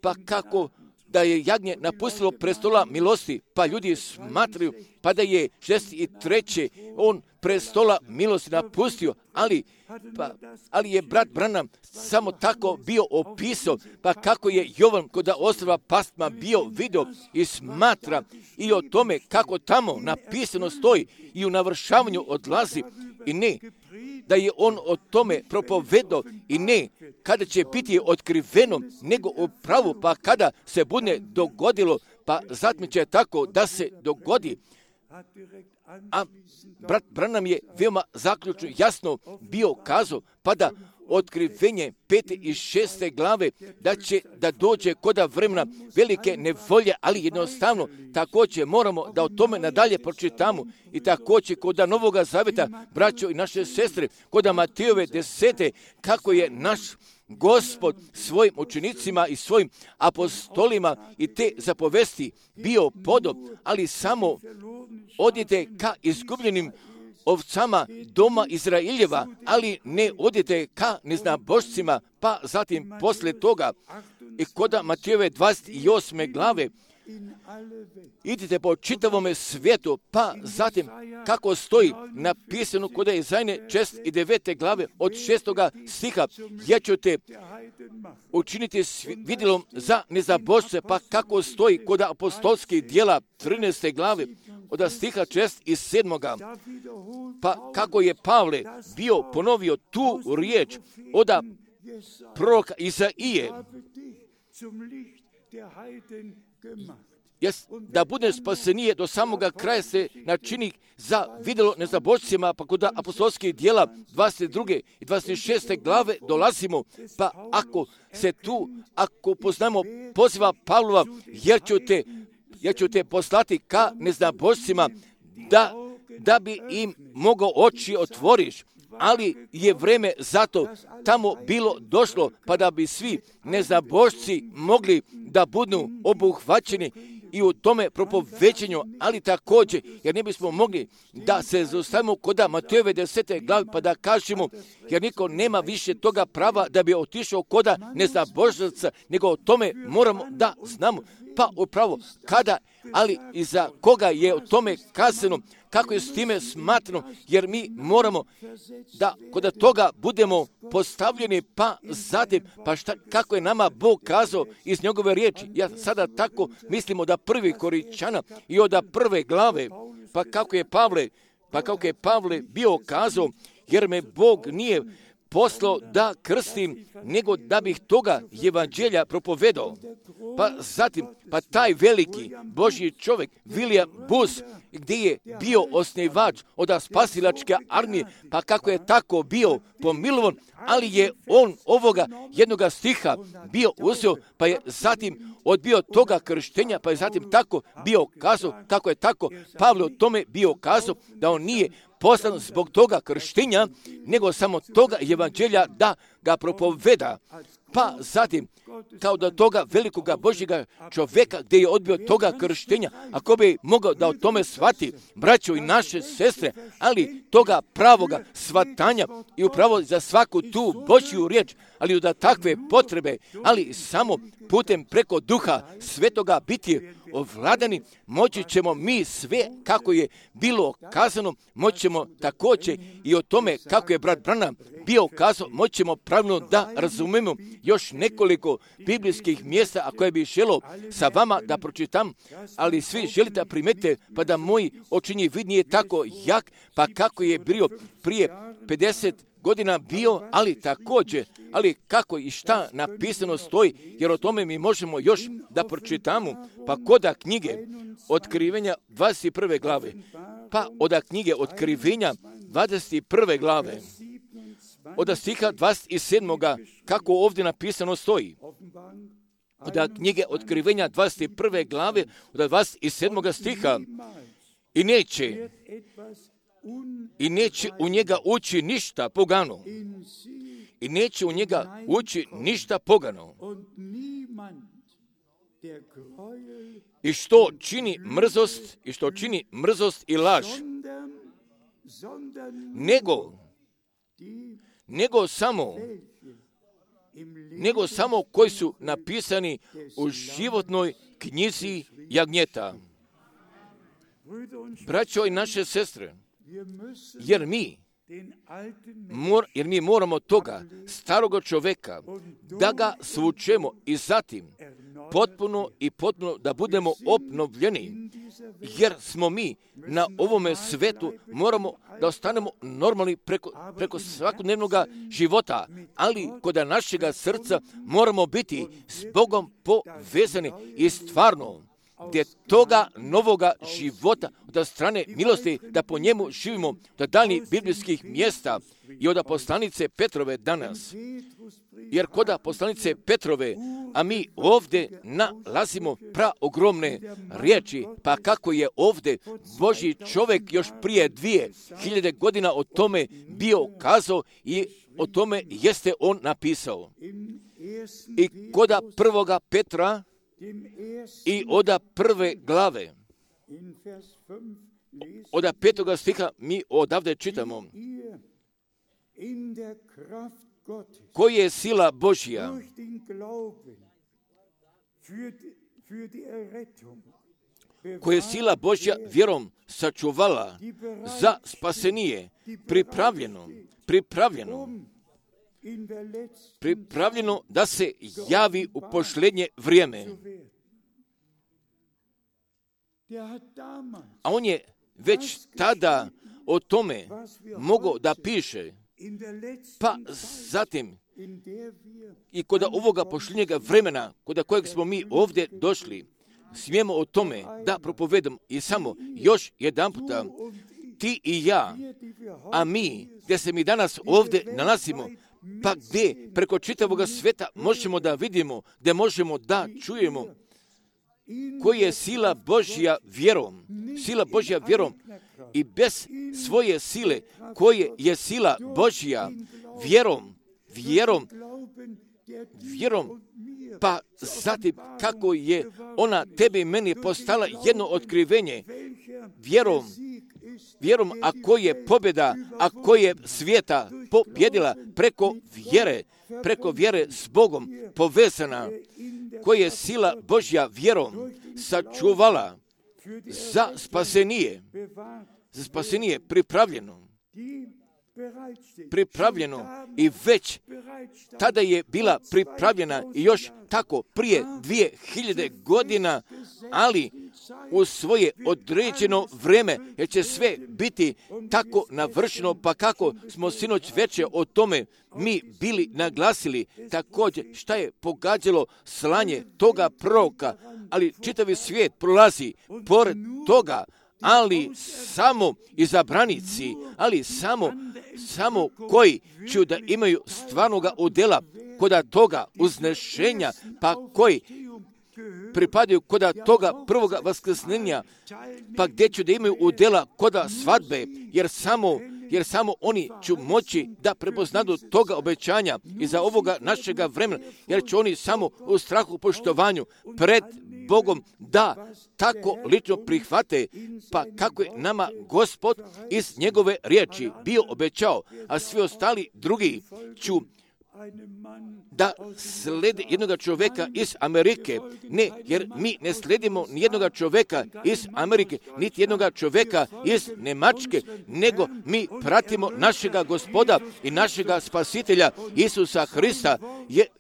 Speaker 1: pa kako da je jagnje napustilo prestola milosti, pa ljudi smatraju, pa da je 63. on prestola milosti napustio, ali je brat Branham samo tako bio opisao, pa kako je Jovan kod ostrva Patma bio vidio i smatra i o tome kako tamo napisano stoji i u navršavanju odlazi, i ne da je on o tome propovedao, i ne kada će biti otkriveno, nego upravo pa kada se bude dogodilo, pa zatim će tako da se dogodi. A brat Branham je veoma zaključno jasno bio kazao, pa da otkrivenje 5. i 6. glave da dođe koda vremena velike nevolje, ali jednostavno također moramo da o tome nadalje pročitamo, i također koda Novoga Zaveta, braćo i naše sestre, koda Matejove 10. kako je naš Gospod svojim učenicima i svojim apostolima i te zapovesti bio podob, ali samo odite ka izgubljenim ovcama doma Izraeljeva, ali ne odite ka neznabošcima, pa zatim posle toga i koda Matejove 28. glave idite po čitavome svijetu, pa zatim kako stoji napisano kod Izajne 9. glave od 6. stiha, ja ću te učiniti vidjelom za nezabošce, pa kako stoji kod apostolskih dijela 13. glave od stiha 6. i 7. Pa kako je Pavle bio ponovio tu riječ od proroka Izaije, da bude spasenije do samoga kraja se načini za vidjelo nezabošcima, pa kod apostolskih dijela 22. i 26. glave dolazimo, pa ako poznamo poziva Pavlova, jer ću te poslati ka neznabošcima, da bi im mogao oči otvoriš, ali je vreme zato tamo bilo došlo, pa da bi svi neznabošci mogli da budu obuhvaćeni i u tome propovećenju, ali također, jer ne bismo mogli da se zaustavimo kod Matejove 10. glave, pa da kažemo, jer niko nema više toga prava da bi otišao kod neznabošaca, nego o tome moramo da znamo. Pa upravo kada, ali i za koga je o tome kazano, kako je s time smatrano, jer mi moramo da kod toga budemo postavljeni, pa zatim, kako je nama Bog kazao iz njegove riječi. Ja sada tako mislim od 1. Korinčana i od 1. glave, pa kako je Pavle bio kazao, jer me Bog nije poslao da krstim, nego da bih toga evanđelja propovedao. Pa zatim, pa taj veliki Božji čovjek, William Booth, gdje je bio osnivač od spasilačke armije, pa kako je tako bio pomilovan, ali je on ovoga jednoga stiha bio uzeo, pa je zatim odbio toga krštenja, pa je zatim tako bio kazao, kako je tako Pavle o tome bio kazao, da on nije poslan zbog toga krštenja, nego samo toga evanđelja da ga propoveda. Pa zatim, kao da toga velikoga Božjega čovjeka gdje je odbio toga krštenja, ako bi mogao da o tome shvati, braćo i naše sestre, ali toga pravoga shvatanja i upravo za svaku tu Božju riječ, ali da takve potrebe, ali samo putem preko Duha Svetoga biti ovladani, moći ćemo mi sve, kako je bilo kazano, moći ćemo također i o tome kako je brat Branham bio kazao, moći ćemo pravilno da razumemo još nekoliko biblijskih mjesta, a koje bi želio sa vama da pročitam, ali svi želite primetiti, pa da moj očinji vid nije tako jak, pa kako je bio prije 50 godina bio, ali također, ali kako i šta napisano stoji, jer o tome mi možemo još da pročitamo, pa koda knjige Otkrivenja 21. glave, pa od knjige Otkrivenja 21. glave, od stiha 27. kako ovdje napisano stoji. Od knjige Otkrivenja 21. glave od 27. stiha. I neće u njega ući ništa pogano. I neće u njega ući ništa pogano. I što čini mrzost i laž. Nego samo koji su napisani u životnoj knjizi jagnjeta. Braćo i naše sestre, jer mi moramo toga staroga čovjeka da ga svučemo i zatim potpuno da budemo obnovljeni, jer smo mi na ovome svetu moramo da ostanemo normalni preko svakodnevnog života, ali kod našega srca moramo biti s Bogom povezani i stvarno gdje toga novoga života od strane milosti da po njemu živimo do daljnjih biblijskih mjesta i od poslanice Petrove danas. Jer kod poslanice Petrove, a mi ovdje nalazimo praogromne riječi, pa kako je ovdje Božji čovjek još prije 2000 godina o tome bio kazao i o tome jeste on napisao. I kod prvoga Petra i od prve glave, od 5. stiha mi odavde čitamo: koja je sila Božja vjerom sačuvala za spasenije, pripravljeno da se javi u posljednje vrijeme. A on je već tada o tome mogao da piše, pa zatim i kod ovoga posljednjega vremena, kod kojeg smo mi ovdje došli, smijemo o tome da propovedamo i samo još jedan puta, ti i ja, a mi, gdje se mi danas ovdje nalazimo, pa gdje preko čitavog sveta možemo da vidimo, gdje možemo da čujemo koja je sila Božja vjerom i bez svoje sile, koje je sila Božja vjerom, pa zatim kako je ona tebi i meni postala jedno otkrivenje, vjerom, ako je pobjeda, ako je svijeta pobjedila preko vjere s Bogom povezana, koja je sila Božja vjerom sačuvala za spasenije pripravljeno i već tada je bila pripravljena i još tako prije 2000 godina, ali u svoje određeno vrijeme, jer će sve biti tako navršeno, pa kako smo sinoć večer o tome mi bili naglasili, također šta je pogađalo slanje toga proroka, ali čitavi svijet prolazi pored toga, ali samo izabranici, ali samo koji će da imaju stvarnoga udjela kod toga uznešenja, pa koji pripadaju kod toga prvoga vaskrsnenja, pa gdje će da imaju udjela kod svadbe, jer samo oni će moći da prepoznadu toga obećanja i za ovoga našega vremena, jer će oni samo u strahu poštovanju pred Bogom da tako lično prihvate, pa kako je nama Gospod iz njegove riječi bio obećao, a svi ostali drugi ću da slede jednoga čovjeka iz Amerike. Ne, jer mi ne sledimo ni jednoga čovjeka iz Amerike, niti jednoga čovjeka iz Njemačke, nego mi pratimo našega Gospoda i našega Spasitelja Isusa Hrista,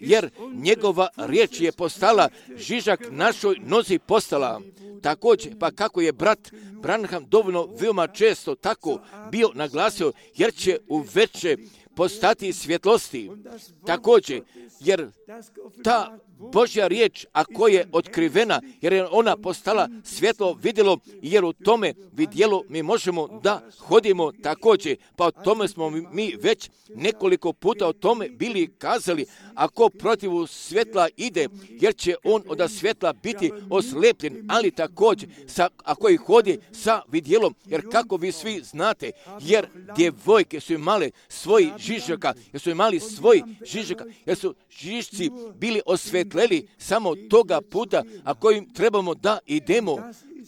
Speaker 1: jer njegova riječ je postala žižak našoj nozi postala. Također, pa kako je brat Branham dovoljno veoma često tako bio naglasio, jer će u veće postati svjetlosti. Također, jer ta Božja riječ, ako je otkrivena, jer je ona postala svjetlo vidjelo, jer u tome vidjelo mi možemo da hodimo također. Pa o tome smo mi već nekoliko puta o tome bili kazali. Ako protiv svjetla ide, jer će on od svjetla biti oslepljen, ali također ako ih hodi sa vidjelom, jer kako vi svi znate, jer djevojke su imale svoji žižaka, jer su žižci bili osvjetleli samo toga puta, a kojim trebamo da idemo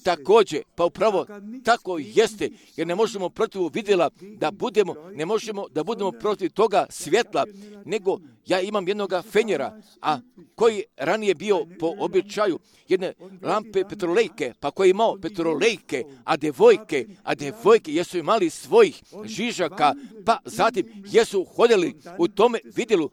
Speaker 1: također. Pa upravo tako jeste, jer ne možemo protiv vidjela da budemo, ne možemo da budemo protiv toga svjetla, nego ja imam jednoga fenjera, a koji ranije bio po običaju jedne lampe petrolejke, pa koji je imao petrolejke, a devojke jesu imali svojih žižaka, pa zatim jesu hodili u tome vidjelu,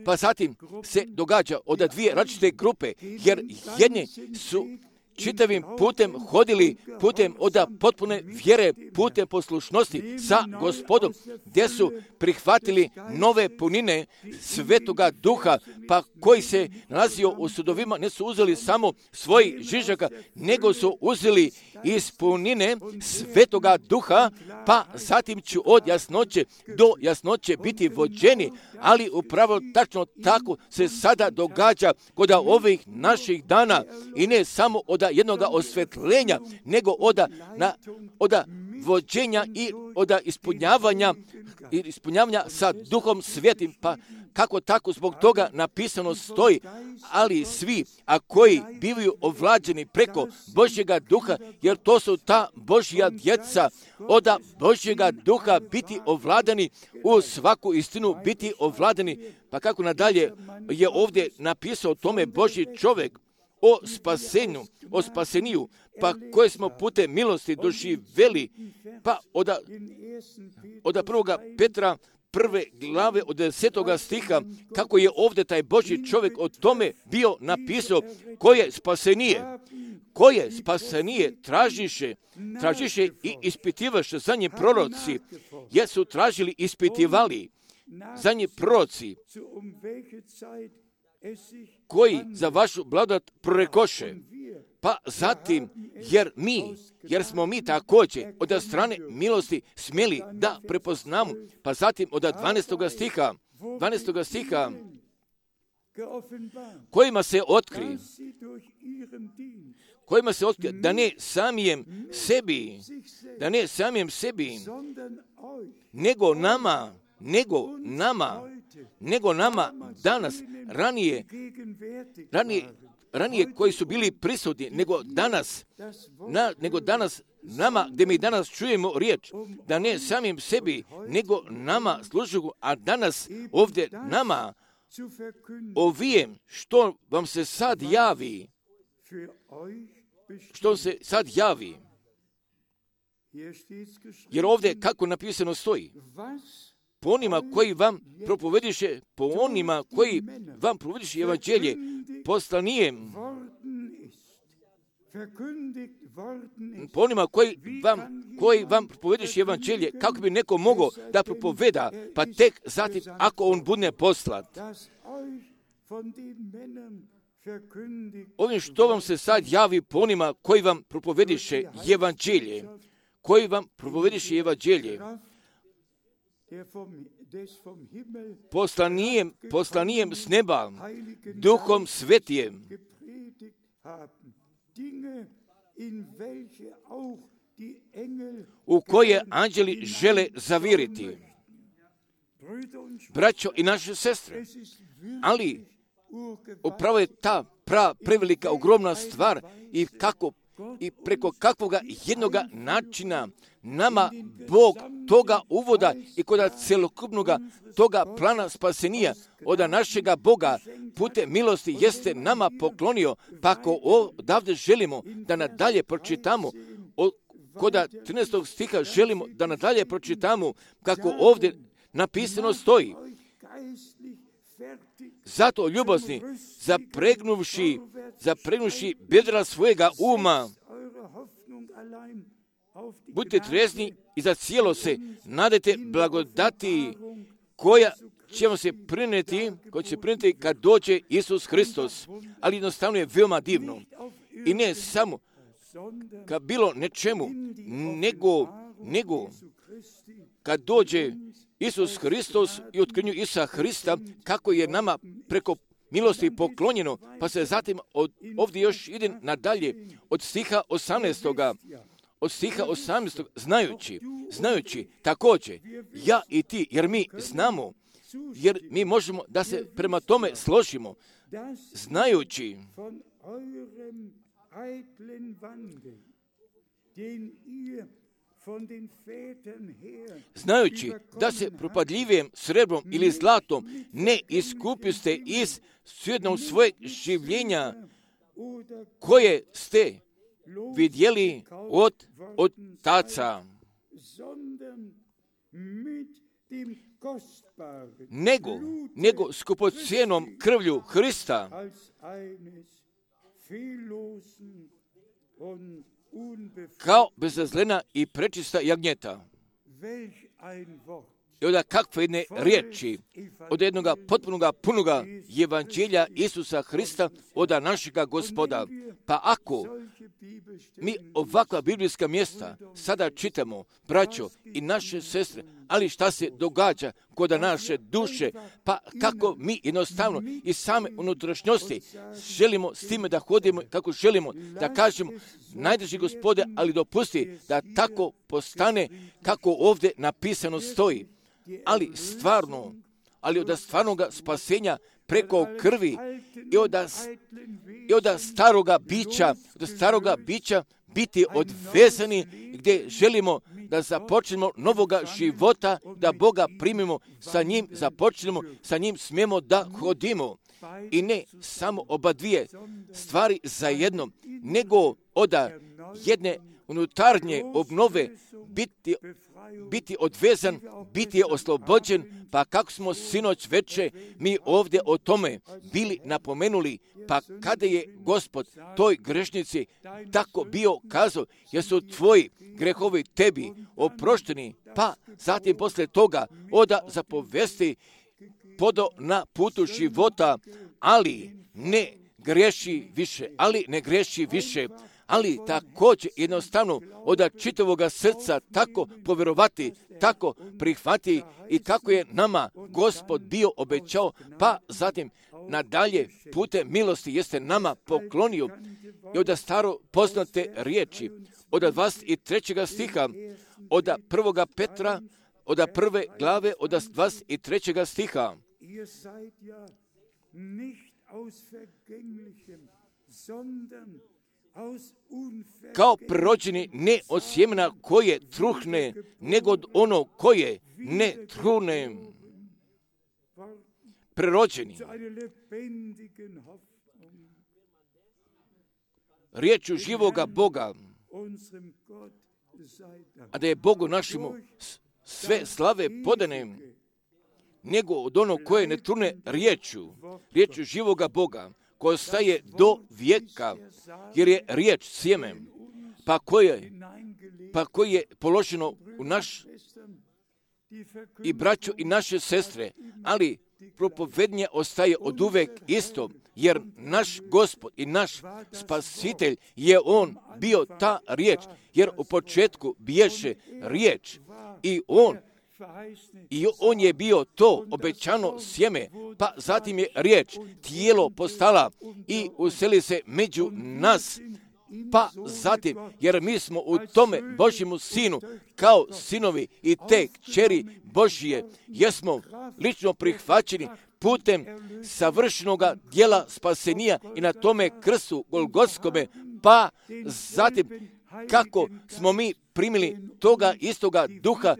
Speaker 1: pa zatim se događa od dvije različite grupe, jer jedni su čitavim putem hodili putem od potpune vjere, putem poslušnosti sa Gospodom, gdje su prihvatili nove punine Svetoga Duha, pa koji se nalazio u sudovima, ne su uzeli samo svojih žižaka, nego su uzeli iz punine Svetoga Duha, pa zatim ću od jasnoće do jasnoće biti vođeni, ali upravo tačno tako se sada događa kod ovih naših dana, i ne samo od jednoga osvetljenja, nego od vođenja i od ispunjavanja sa Duhom Svetim. Pa kako tako zbog toga napisano stoji, ali svi, a koji bivaju ovlađeni preko Božjega Duha, jer to su ta Božja djeca, od Božjega Duha biti ovladani, u svaku istinu biti ovladani. Pa kako nadalje je ovdje napisao o tome Božji čovjek, o spaseniju, pa koje smo putem milosti doživjeli, pa od 1. Petra 1. glave od 10. stiha, kako je ovdje taj Božji čovjek o tome bio napisao, koje spasenije tražiše i ispitivaše za nje proroci, jer su tražili, ispitivali za nje proroci, koji za vašu blagodat prorekoše. Pa zatim, jer smo mi također od strane milosti smjeli da prepoznamo, pa zatim od 12. stiha, kojima se otkri, da ne samijem sebi, nego nama danas, ranije koji su bili prisutni, nego danas nama, gdje mi danas čujemo riječ, da ne samim sebi, nego nama služu, a danas ovdje nama ovijem što vam se sad javi, jer ovdje kako napisano stoji, po onima koji vam propovediše, evanđelje, poslanijem, po onima koji vam propovediše evanđelje, kako bi neko mogao da propoveda, pa tek zatim ako on bude poslat. Ovim što vam se sad javi po onima koji vam propovediše evanđelje, poslanijem s neba, Duhom Svetijem, u koje anđeli žele zaviriti. Braćo i naše sestre, ali upravo je ta prevelika, ogromna stvar i preko kakvoga jednoga načina nama Bog toga uvoda i kod celokupnog toga plana spasenija od našega Boga putem milosti jeste nama poklonio, pa ako odavde želimo da nadalje pročitamo, kod 13. stiha želimo da nadalje pročitamo kako ovdje napisano stoji. Zato ljubozni, zapregnuvši bedra svojega uma, budite trezni i za cijelo se nadajte blagodati ćemo se prinijeti, kad dođe Isus Hristos. Ali jednostavno je veoma divno. I ne samo kad bilo nečemu, nego kad dođe Isus Hristos i otkrinju Isusa Hrista, kako je nama preko milosti poklonjeno, pa se zatim ovdje još ide nadalje od stiha 18. Od stiha 18. Znajući također, ja i ti, jer mi znamo, jer mi možemo da se prema tome složimo, znajući da se propadljivim srebrom ili zlatom ne iskupiste iz svjednog svojeg življenja koje ste vidjeli od otaca, nego skupocjenom krvlju Hrista, kao bezazlena i prečista jagnjeta. I onda kakve jedne riječi od jednoga potpunoga punoga evanđelja Isusa Hrista od našega Gospoda. Pa ako mi ovakva biblijska mjesta sada čitamo, braćo i naše sestre, ali šta se događa kod naše duše, pa kako mi jednostavno i same unutrašnjosti želimo s time da hodimo kako želimo, da kažemo najdrži Gospode, ali dopusti da tako postane kako ovdje napisano stoji. Ali od stvarnoga spasenja preko krvi i od staroga bića biti odvezani gdje želimo da započnemo novoga života, da Boga primimo, sa njim započnemo, sa njim smijemo da hodimo. I ne samo oba dvije stvari zajedno, nego od jedne unutarnje obnove biti odvezan, biti je oslobođen, pa kako smo sinoć veče mi ovdje o tome bili napomenuli, pa kada je Gospod toj grešnici tako bio kazao, jer su tvoji grehovi tebi oprošteni, pa zatim posle toga oda zapovesti podo na putu života, ali ne greši više, ali također jednostavno od čitavoga srca tako povjerovati, tako prihvati i kako je nama Gospod bio obećao, pa zatim nadalje putem milosti jeste nama poklonio i od staro poznate riječi, od 23. stiha, od 1. Petra, od 1. glave, od 23. stiha. Kao prorođeni ne od sjemena koje truhne, nego od ono koje ne truhne. Prerođeni. Riječu živoga Boga, a da je Bogu našemu sve slave podane, nego od ono koje ne trune riječu živoga Boga, koja staje do vijeka, jer je riječ sjeme, pa koje je položeno u naš i braćo i naše sestre, ali propovednje ostaje od uvek isto, jer naš Gospod i naš Spasitelj je On bio ta riječ, jer u početku biješe riječ i on je bio to obećano sjeme, pa zatim je riječ tijelo postala i useli se među nas, pa zatim, jer mi smo u tome Božjemu Sinu, kao sinovi i te kćeri Božije, jesmo lično prihvaćeni putem savršenoga djela spasenija i na tome krstu Golgotskome, pa zatim kako smo mi primili toga istoga duha,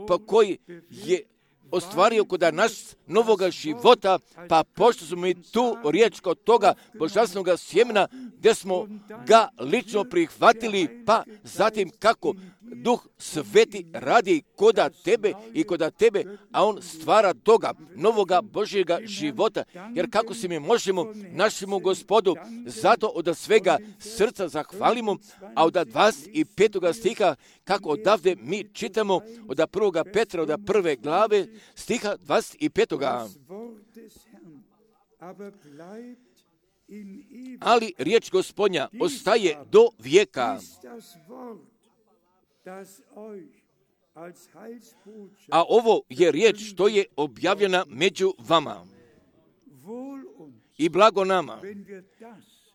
Speaker 1: pa koji je ostvario kod nas novoga života, pa pošto smo mi tu riječ kod toga božanstvenog sjemena, gdje smo ga lično prihvatili, pa zatim kako Duh Sveti radi koda tebe i koda tebe, a on stvara toga novoga Božjega života, jer kako se mi možemo našemu Gospodu zato od svega srca zahvalimo, a od 25. stiha kako odavde mi čitamo od 1. Petra, od 1. glave, stiha 25. Ali riječ Gospodnja ostaje do vijeka. A ovo je riječ što je objavljena među vama. I blago nama.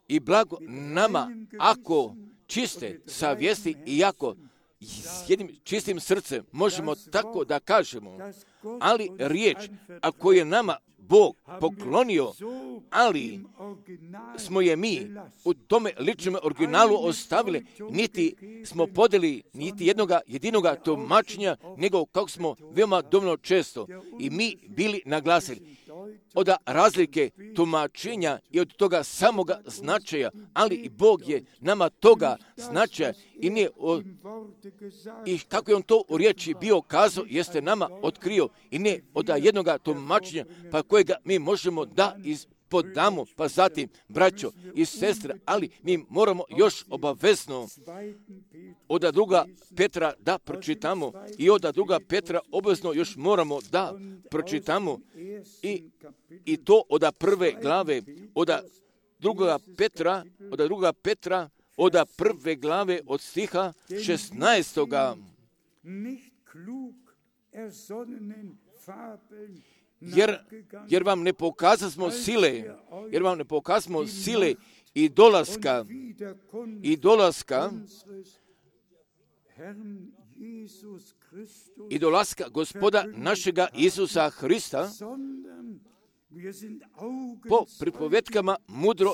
Speaker 1: I blago nama ako čiste savjesti i ako s jednim čistim srcem možemo tako da kažemo. Ali riječ, ako je nama Bog poklonio, ali smo je mi u tome ličnom originalu ostavili, niti smo podeli niti jedinoga tumačenja, nego kako smo veoma dovoljno često i mi bili naglasili od razlike tumačenja i od toga samoga značaja, ali i Bog je nama toga značaja i kako je on to u riječi bio kazao, jeste nama otkrio i ne od jednoga tumačenja pa kojega mi možemo da podamo, pa zatim, braćo i sestre, ali mi moramo još obavezno od druga Petra da pročitamo i od druga Petra obavezno još moramo da pročitamo i to od prve glave, od druga Petra, od prve glave od stiha 16. Jer vam ne pokazasmo sile i dolaska Gospoda našega Isusa Hrista po pripovetkama mudro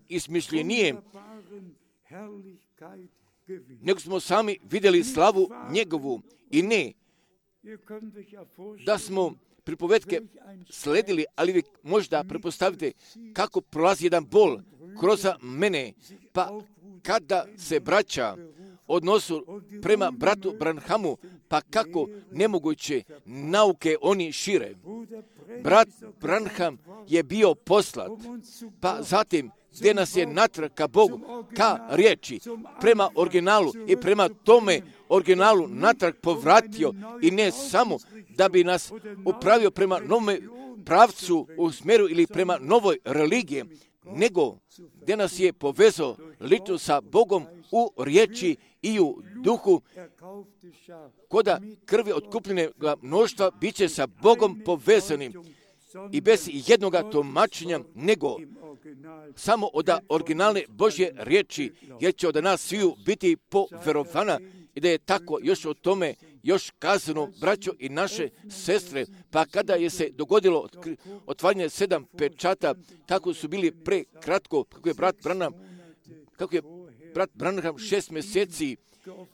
Speaker 1: izmišljenije, nego smo sami vidjeli slavu njegovu i ne da smo pripovetke sledili, ali vi možda pretpostavite kako prolazi jedan bol kroz mene, pa kada se braća odnosu prema bratu Branhamu, pa kako nemoguće nauke oni šire. Brat Branham je bio poslat, pa zatim gdje nas je natrag ka Bogu, ka riječi, prema originalu i prema tome originalu natrag povratio i ne samo da bi nas upravio prema novome pravcu u smjeru ili prema novoj religiji, nego gdje nas je povezao lično sa Bogom u riječi i u duhu, koda krvi otkupljene mnoštva bit će sa Bogom povezanim i bez jednoga tumačenja, nego samo od originalne Božje riječi, jer će od nas sviju biti poverovana i da je tako još o tome još kazano, braćo i naše sestre, pa kada je se dogodilo otvaranje 7 pečata, kako su bili prekratko, kako je brat Branham 6 mjeseci,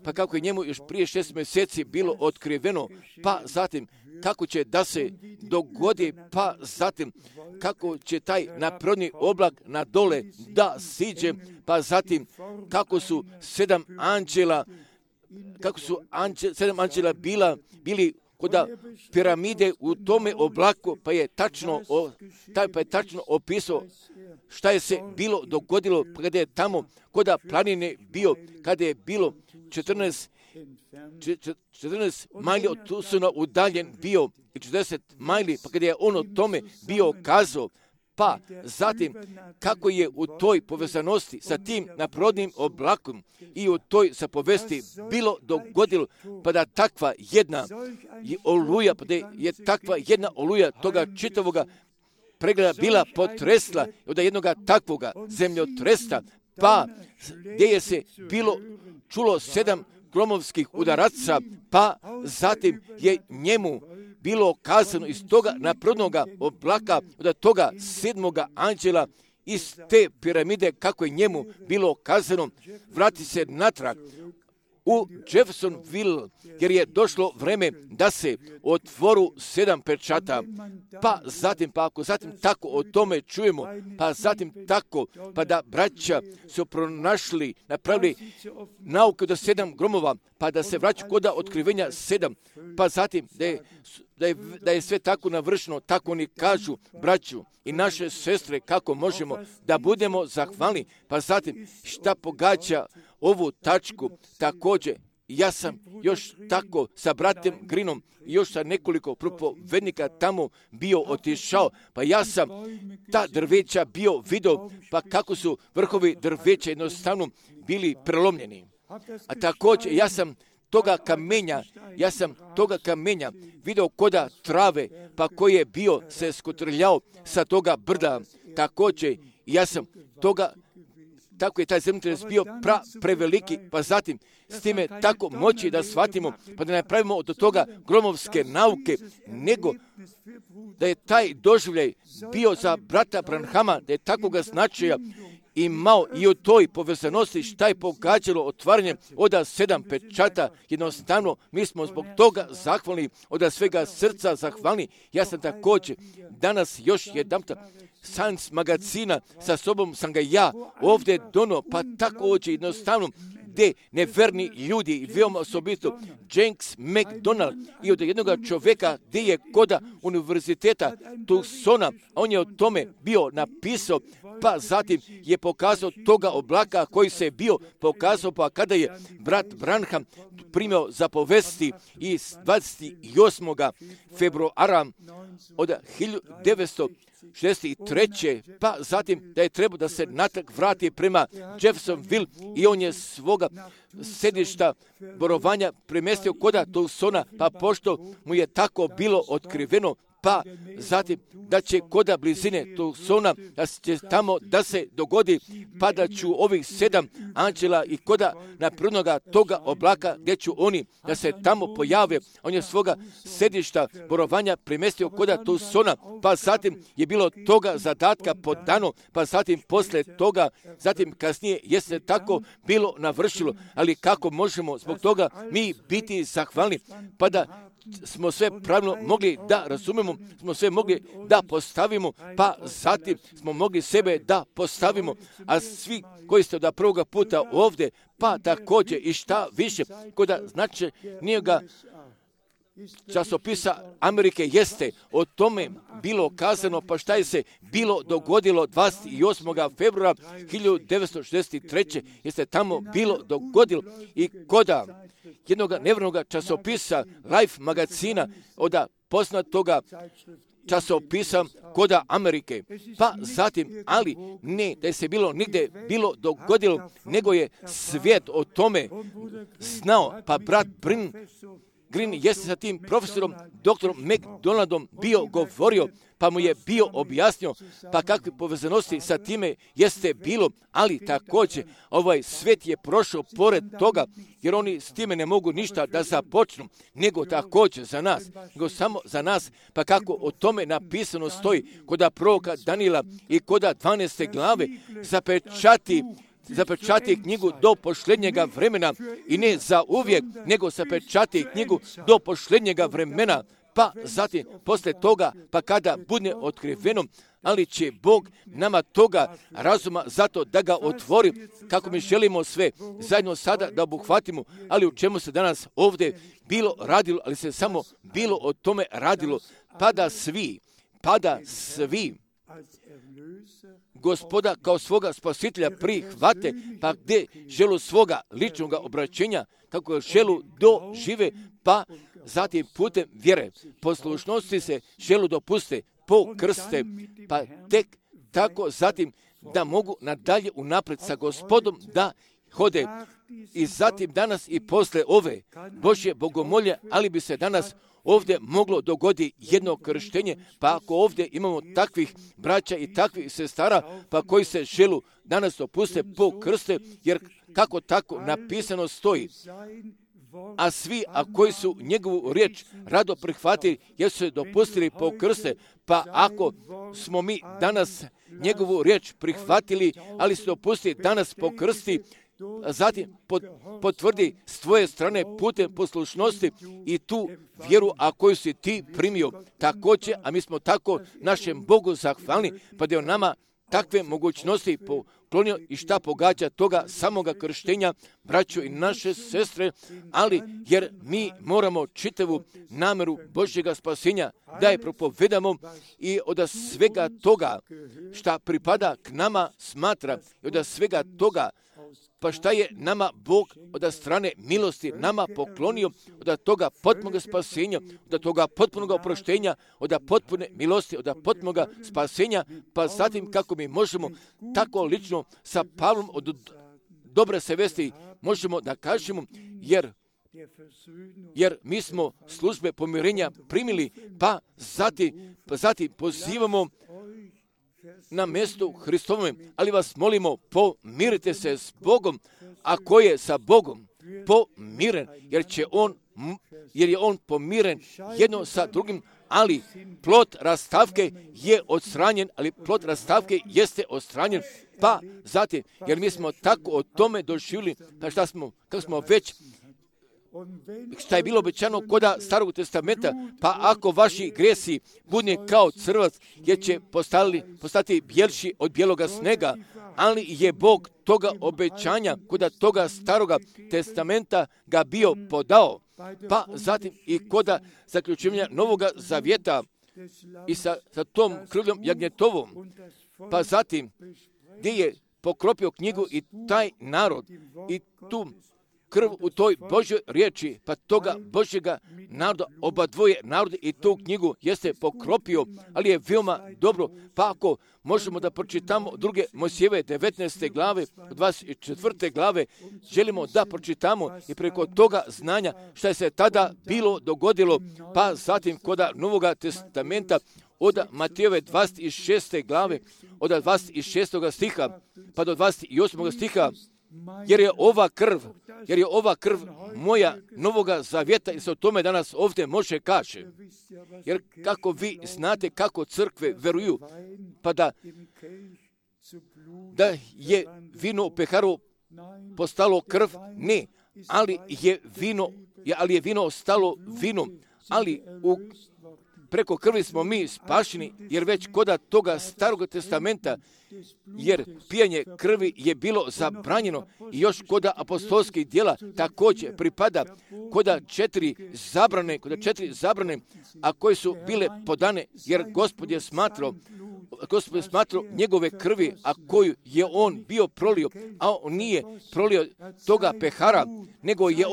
Speaker 1: pa kako je njemu još prije 6 mjeseci bilo otkriveno, pa zatim kako će da se dogodi, pa zatim kako će taj naprodni oblak na dole da siđe, pa zatim kako su 7 anđela bili kod piramide u tome oblaku, pa je tačno opisao šta je se bilo dogodilo kada je tamo kod planine bio, kada je bilo 14 majli od Tusuna udaljen bio i 40 majli, pa kada je on o tome bio kazao, pa zatim kako je u toj povezanosti sa tim naprodnim oblakom i u toj zapovesti bilo dogodilo, pa da takva jedna oluja, pa da je takva jedna oluja toga čitavoga pregleda bila potresla od jednoga takvoga zemljotresa, pa gdje je se bilo čulo 7 gromovskih udaraca, pa zatim je njemu bilo kazano iz toga naprodnoga oblaka, od toga 7. anđela, iz te piramide, kako je njemu bilo kazano, vrati se natrag u Jeffersonville, jer je došlo vreme da se otvoru 7 pečata, pa ako zatim tako o tome čujemo, pa zatim tako, pa da braća su napravili nauke do 7 gromova, pa da se vraća kod otkrivenja 7, pa zatim da je sve tako navršeno, tako oni kažu, braću i naše sestre, kako možemo da budemo zahvalni, pa zatim šta pogađa ovu tačku, također ja sam još tako sa bratem Grinom i još sa nekoliko propovednika tamo bio otišao, pa ja sam ta drveća bio vidio, pa kako su vrhovi drveća jednostavno bili prelomljeni. A također ja sam toga kamenja vidio koda trave, pa koji je bio se skotrljao sa toga brda. Također ja sam tako je taj zemljotres bio preveliki, pa zatim s time tako moći da shvatimo, pa da ne pravimo od toga gromovske nauke, nego da je taj doživljaj bio za brata Branhama, da je takvoga značaja imao i u toj povezanosti šta je pogađalo otvaranje od 7 pečata. Jednostavno, mi smo zbog toga zahvalni, od svega srca zahvalni. Ja sam također danas još jedanputa Science magazina sa sobom sam ga ja ovdje donio, pa također jednostavno gdje neverni ljudi i veoma osobito James McDonald i od jednog čovjeka gdje je koda univerziteta Tucsona, on je o tome bio napisao, pa zatim je pokazao toga oblaka koji se je bio pokazao, pa kada je brat Branham primio zapovesti iz 28. februara od 1963. pa zatim da je trebao da se natrag vrati prema Jeffersonville i on je svoga sedišta borovanja premjestio koda Tucsona, pa pošto mu je tako bilo otkriveno, pa zatim da će koda blizine Tucsona, da će tamo da se dogodi, pa da ću ovih 7 anđela i koda naprednoga toga oblaka gdje ću oni da se tamo pojave. On je svoga sedišta borovanja premjestio koda Tucsona, pa zatim je bilo toga zadatka podano, pa zatim posle toga, zatim kasnije je se tako bilo navršilo, ali kako možemo zbog toga mi biti zahvalni, pa da smo sve pravilno mogli da razumemo, smo sve mogli da postavimo, pa zatim smo mogli sebe da postavimo, a svi koji ste od prvoga puta ovdje, pa također i šta više, koda znači njega časopisa Amerike jeste o tome bilo kazano, pa šta je se bilo dogodilo 28. februara 1963. jeste tamo bilo dogodilo i koda jednog nevjernog časopisa Life magazina od poznatoga časopisa koda Amerike. Pa zatim, ali ne da je se bilo nigde bilo dogodilo, nego je svijet o tome znao, pa brat Green jeste sa tim profesorom, doktorom McDonaldom bio govorio, pa mu je bio objasnio, pa kakve povezanosti sa time jeste bilo, ali također ovaj svijet je prošao pored toga, jer oni s time ne mogu ništa da započnu, nego također za nas, nego samo za nas, pa kako o tome napisano stoji koda proroka Danila i koda 12. glave zapečati knjigu do posljednjega vremena i ne za uvijek, nego zapečati knjigu do posljednjega vremena, pa zatim posle toga, pa kada bude otkriveno, ali će Bog nama toga razuma zato da ga otvori, kako mi želimo sve zajedno sada da obuhvatimo, ali u čemu se danas ovdje bilo radilo, ali se samo bilo o tome radilo, pa da svi Gospoda kao svoga spasitelja prihvate, pa gdje želu svoga ličnog obraćenja, kako želu dožive, pa zatim putem vjere, poslušnosti se želu dopuste, pokrste, pa tek tako zatim da mogu nadalje unaprijed sa Gospodom da hode. I zatim danas i posle ove Božje bogomolje, ali bi se danas ovdje moglo dogoditi jedno krštenje, pa ako ovdje imamo takvih braća i takvih sestara, pa koji se želu danas dopuste po krste, jer kako tako napisano stoji. A svi, a koji su njegovu riječ rado prihvatili, jer su se dopustili po krste, pa ako smo mi danas njegovu riječ prihvatili, ali su dopustili danas po krsti, zatim potvrdi s tvoje strane putem poslušnosti i tu vjeru, a koju si ti primio također, a mi smo tako našem Bogu zahvalni, pa da je on nama takve mogućnosti poklonio i šta pogađa toga samoga krštenja, braćo i naše sestre, ali jer mi moramo čitavu nameru Božjega spasenja da je propovedamo i od svega toga šta pripada k nama smatra i od svega toga Pa šta je nama Bog od strane milosti nama poklonio, od toga potpunog spasenja, od toga potpunog oproštenja, od potpune milosti, od potpunog spasenja, pa zatim kako mi možemo tako lično sa Pavlom od dobre se vesti možemo da kažemo, jer mi smo službe pomirenja primili, pa zatim pozivamo na mjestu Hristovome, ali vas molimo, pomirite se s Bogom, a ko je sa Bogom pomiren, jer je on pomiren jedno sa drugim, ali plod rastavke je odstranjen, ali plod rastavke jeste odstranjen, pa zatim, jer mi smo tako o tome doživjeli, pa kako smo već, šta je bilo obećano koda Starog testamenta, pa ako vaši gresi budne kao crvac, jer će postati bjelši od bijeloga snega, ali je Bog toga obećanja koda toga Staroga testamenta ga bio podao, pa zatim i koda zaključivanja Novoga zavjeta i sa tom krvljom jagnjetovom, pa zatim gdje je pokropio knjigu i taj narod i tu krv u toj Božjoj riječi, pa toga Božjega naroda, oba dvoje narode i tu knjigu jeste pokropio, ali je veoma dobro, pa ako možemo da pročitamo druge Mojsijeve 19. glave, 24. glave, želimo da pročitamo i preko toga znanja što je se tada bilo dogodilo, pa zatim koda Novoga testamenta od Matejove 26. glave, od 26. stiha, pa do 28. stiha, jer je ova krv moja Novoga zavjeta i se o tome danas ovdje može kaže. Jer kako vi znate kako crkve veruju, pa da je vino u peharu postalo krv, ne, ali je vino ostalo vino, ali preko krvi smo mi spašeni, jer već koda toga Starog testamenta, jer pijanje krvi je bilo zabranjeno i još koda apostolskih djela također pripada koda četiri zabrane, a koje su bile podane, jer Gospod je smatrao njegove krvi, a koju je on bio prolio, a on nije prolio toga pehara, nego je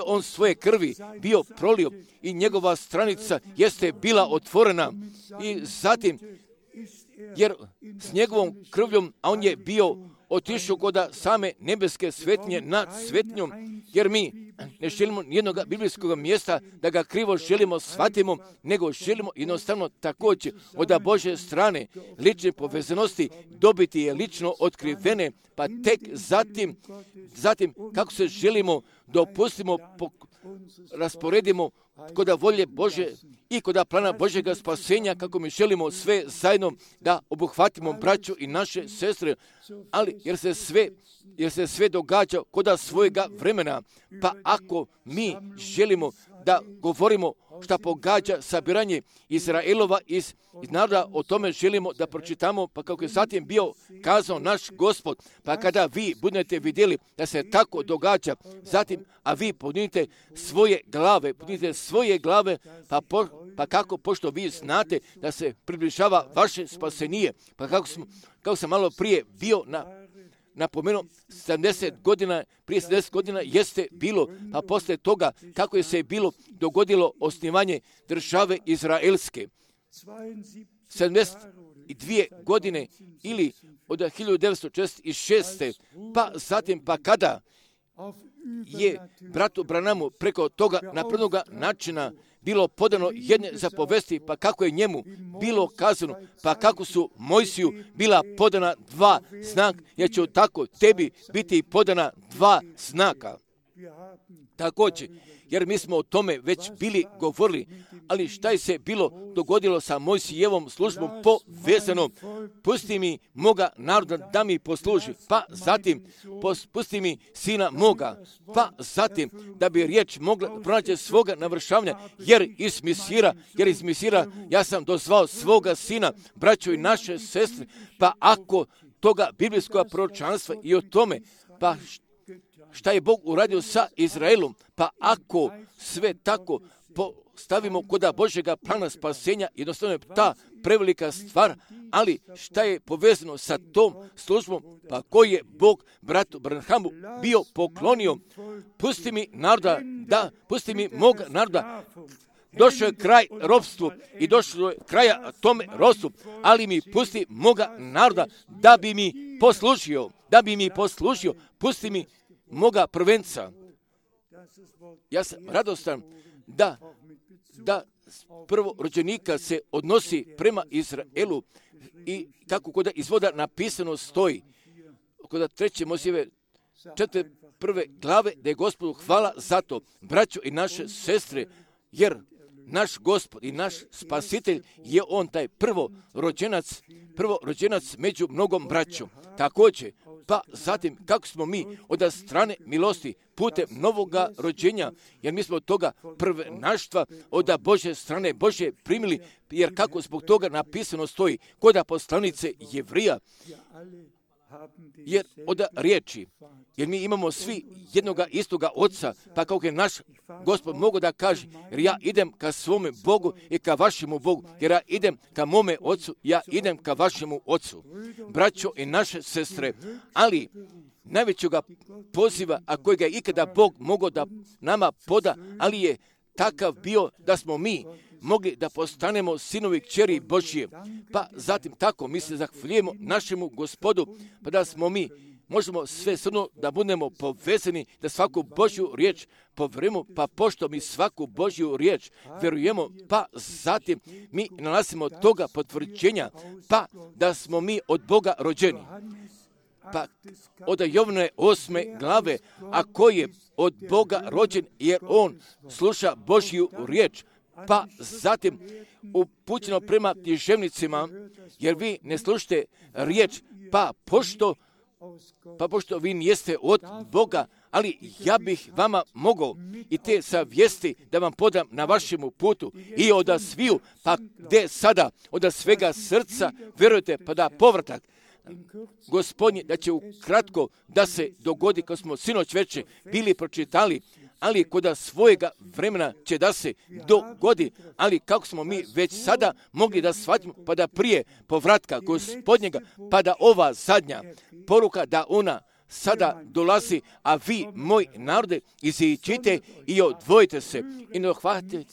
Speaker 1: on svoje krvi bio prolio i njegova stranica jeste bila otvorena i zatim, jer s njegovom krvljom, a on je bio otišao kod same nebeske svetinje nad svetinjom, jer mi ne želimo nijednog biblijskog mjesta da ga krivo želimo shvatimo, nego želimo jednostavno također od Božje strane lične povezanosti dobiti je lično otkrivene, pa tek zatim kako se želimo dopustimo, rasporedimo kod volje Bože i kod plana Božjega spasenja, kako mi želimo sve zajedno da obuhvatimo braću i naše sestre, ali jer se sve događa kod svojega vremena, pa ako mi želimo da govorimo šta pogađa sabiranje Izraelova iz naroda, o tome želimo da pročitamo, pa kako je zatim bio kazao naš Gospod, pa kada vi budete vidjeli da se tako događa, zatim, a vi podignite svoje glave, pa kako, pošto vi znate da se približava vaše spasenije, pa kako sam malo prije bio napomenuo, 70 godina jeste bilo, pa poslije toga kako je se bilo dogodilo osnivanje države Izraelske. 72 godine ili od 1946. Pa zatim, pa kada je bratu Branamu preko toga naprednoga načina bilo podano jedne zapovesti, pa kako je njemu bilo kazano, pa kako su Mojsiju bila podana dva znaka, jer će tako tebi biti podana dva znaka. Također, jer mi smo o tome već bili govorili, ali šta je se bilo dogodilo sa Mojsijevom službom povezano? Pusti mi moga naroda da mi posluži, pa zatim pusti mi sina moga, pa zatim da bi riječ mogla pronaći svoga navršavanja, jer iz Misira ja sam dozvao svoga sina, braćo i naše sestre, pa ako toga biblijskog proročanstva i o tome, pa šta je Bog uradio sa Izraelom. Pa ako sve tako stavimo kod Božjega plana spasenja, jednostavno je ta prevelika stvar, ali šta je povezano sa tom službom, pa koji je Bog bratu Branhamu bio poklonio. Pusti mi naroda, pusti mi mog naroda. Došao je kraj ropstvu i došlo je kraja tome ropstvu, ali mi pusti moga naroda da bi mi poslužio, pusti mi moga prvenca. Ja sam radostan da prvorođenika se odnosi prema Izraelu i kako kod izvoda napisano stoji, kod 3. Mojsijeve 4. glave, da je Gospodu hvala za to, braćo i naše sestre, jer naš Gospod i naš Spasitelj je on taj prvorođenac među mnogom braćom. Također, pa zatim kako smo mi od strane milosti putem novoga rođenja, jer mi smo od toga prvenaštva od Božje strane Božje primili, jer kako zbog toga napisano stoji kod poslanice Jevrija, jer od riječi, jer mi imamo svi jednoga istoga oca, pa kako je naš Gospod mogo da kaže, jer ja idem ka svome Bogu i ka vašemu Bogu, jer ja idem ka mome ocu, ja idem ka vašemu ocu. Braćo i naše sestre, ali najvećega poziva, a kojega je ikada Bog mogao da nama poda, ali je takav bio da smo mi mogli da postanemo sinovi kćeri Božje. Pa zatim tako mi se zahvaljujemo našemu Gospodu, pa da smo mi možemo sve srno da budemo povezani, da svaku Božju riječ povjerujemo, pa pošto mi svaku Božju riječ vjerujemo, pa zatim mi nalazimo toga potvrđenja, pa da smo mi od Boga rođeni. Pa od Jovane 8. glave, a ko je od Boga rođen, jer on sluša Božju riječ, pa zatim upućeno prema književnicima, jer vi ne slušate riječ, pa pošto vi nijeste od Boga, ali ja bih vama mogao i te savijesti da vam podam na vašemu putu i od sviju, pa gdje sada od svega srca vjerujete, pa da povratak Gospodnje, da će ukratko da se dogodi, kao smo sinoć večer bili pročitali, ali kod svojega vremena će da se dogodi, ali kako smo mi već sada mogli da shvatimo, pa da prije povratka Gospodnjega, pa da ova zadnja poruka, da ona sada dolazi, a vi, moj narode, iziđite i odvojite se i ne hvatite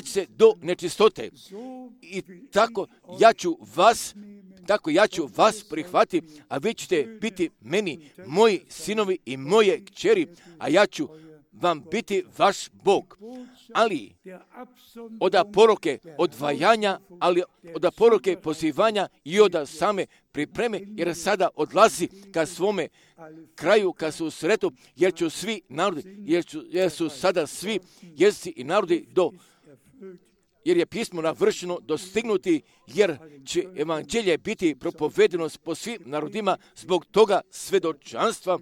Speaker 1: se do nečistote. I tako ja ću vas prihvatiti, a vi ćete biti meni, moji sinovi i moje kćeri, a ja ću vam biti vaš Bog. Ali od poroke odvajanja, ali od poroke pozivanja i od same pripreme, jer sada odlazi ka svome kraju, ka susretu, jer ću svi narodi, jer su sada svi jezici i narodi jer je pismo navršeno dostignuti, jer će evanđelje biti propovedeno po svim narodima, zbog toga svedočanstva.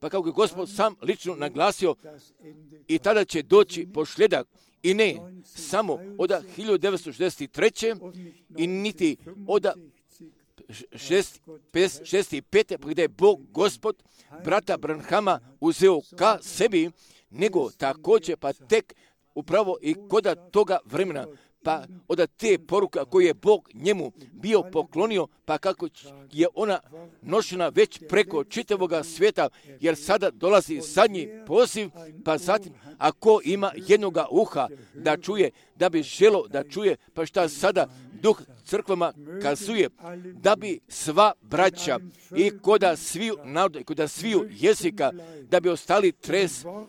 Speaker 1: Pa kako je Gospod sam lično naglasio, i tada će doći pošljedak, i ne samo od 1963. i niti od 65. gdje je Bog Gospod brata Branhama uzeo ka sebi, nego također pa tek upravo i kod toga vremena, pa od te poruka koje je Bog njemu bio poklonio, pa kako je ona nošena već preko čitavoga svijeta, jer sada dolazi zadnji poziv, pa zatim ako ima jednoga uha da čuje, da bi želo da čuje, pa šta sada Duh crkvama kazuje, da bi sva braća i koda sviju naroda i koda sviju jezika, da bi ostali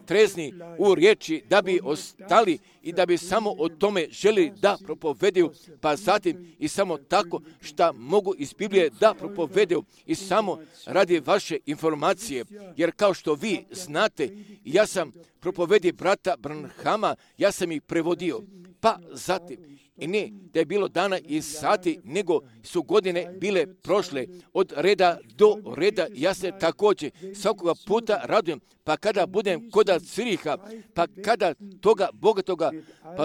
Speaker 1: trezni u riječi, da bi ostali i da bi samo o tome želi da propovedaju, pa zatim i samo tako šta mogu iz Biblije da propovedaju i samo radi vaše informacije, jer kao što vi znate, ja sam propovedio brata Branhama, ja sam ih prevodio, pa zatim i ne da je bilo dana i sati, nego su godine bile prošle od reda do reda. Ja se također svakoga puta radujem, pa kada budem kod Ciriha, pa kada toga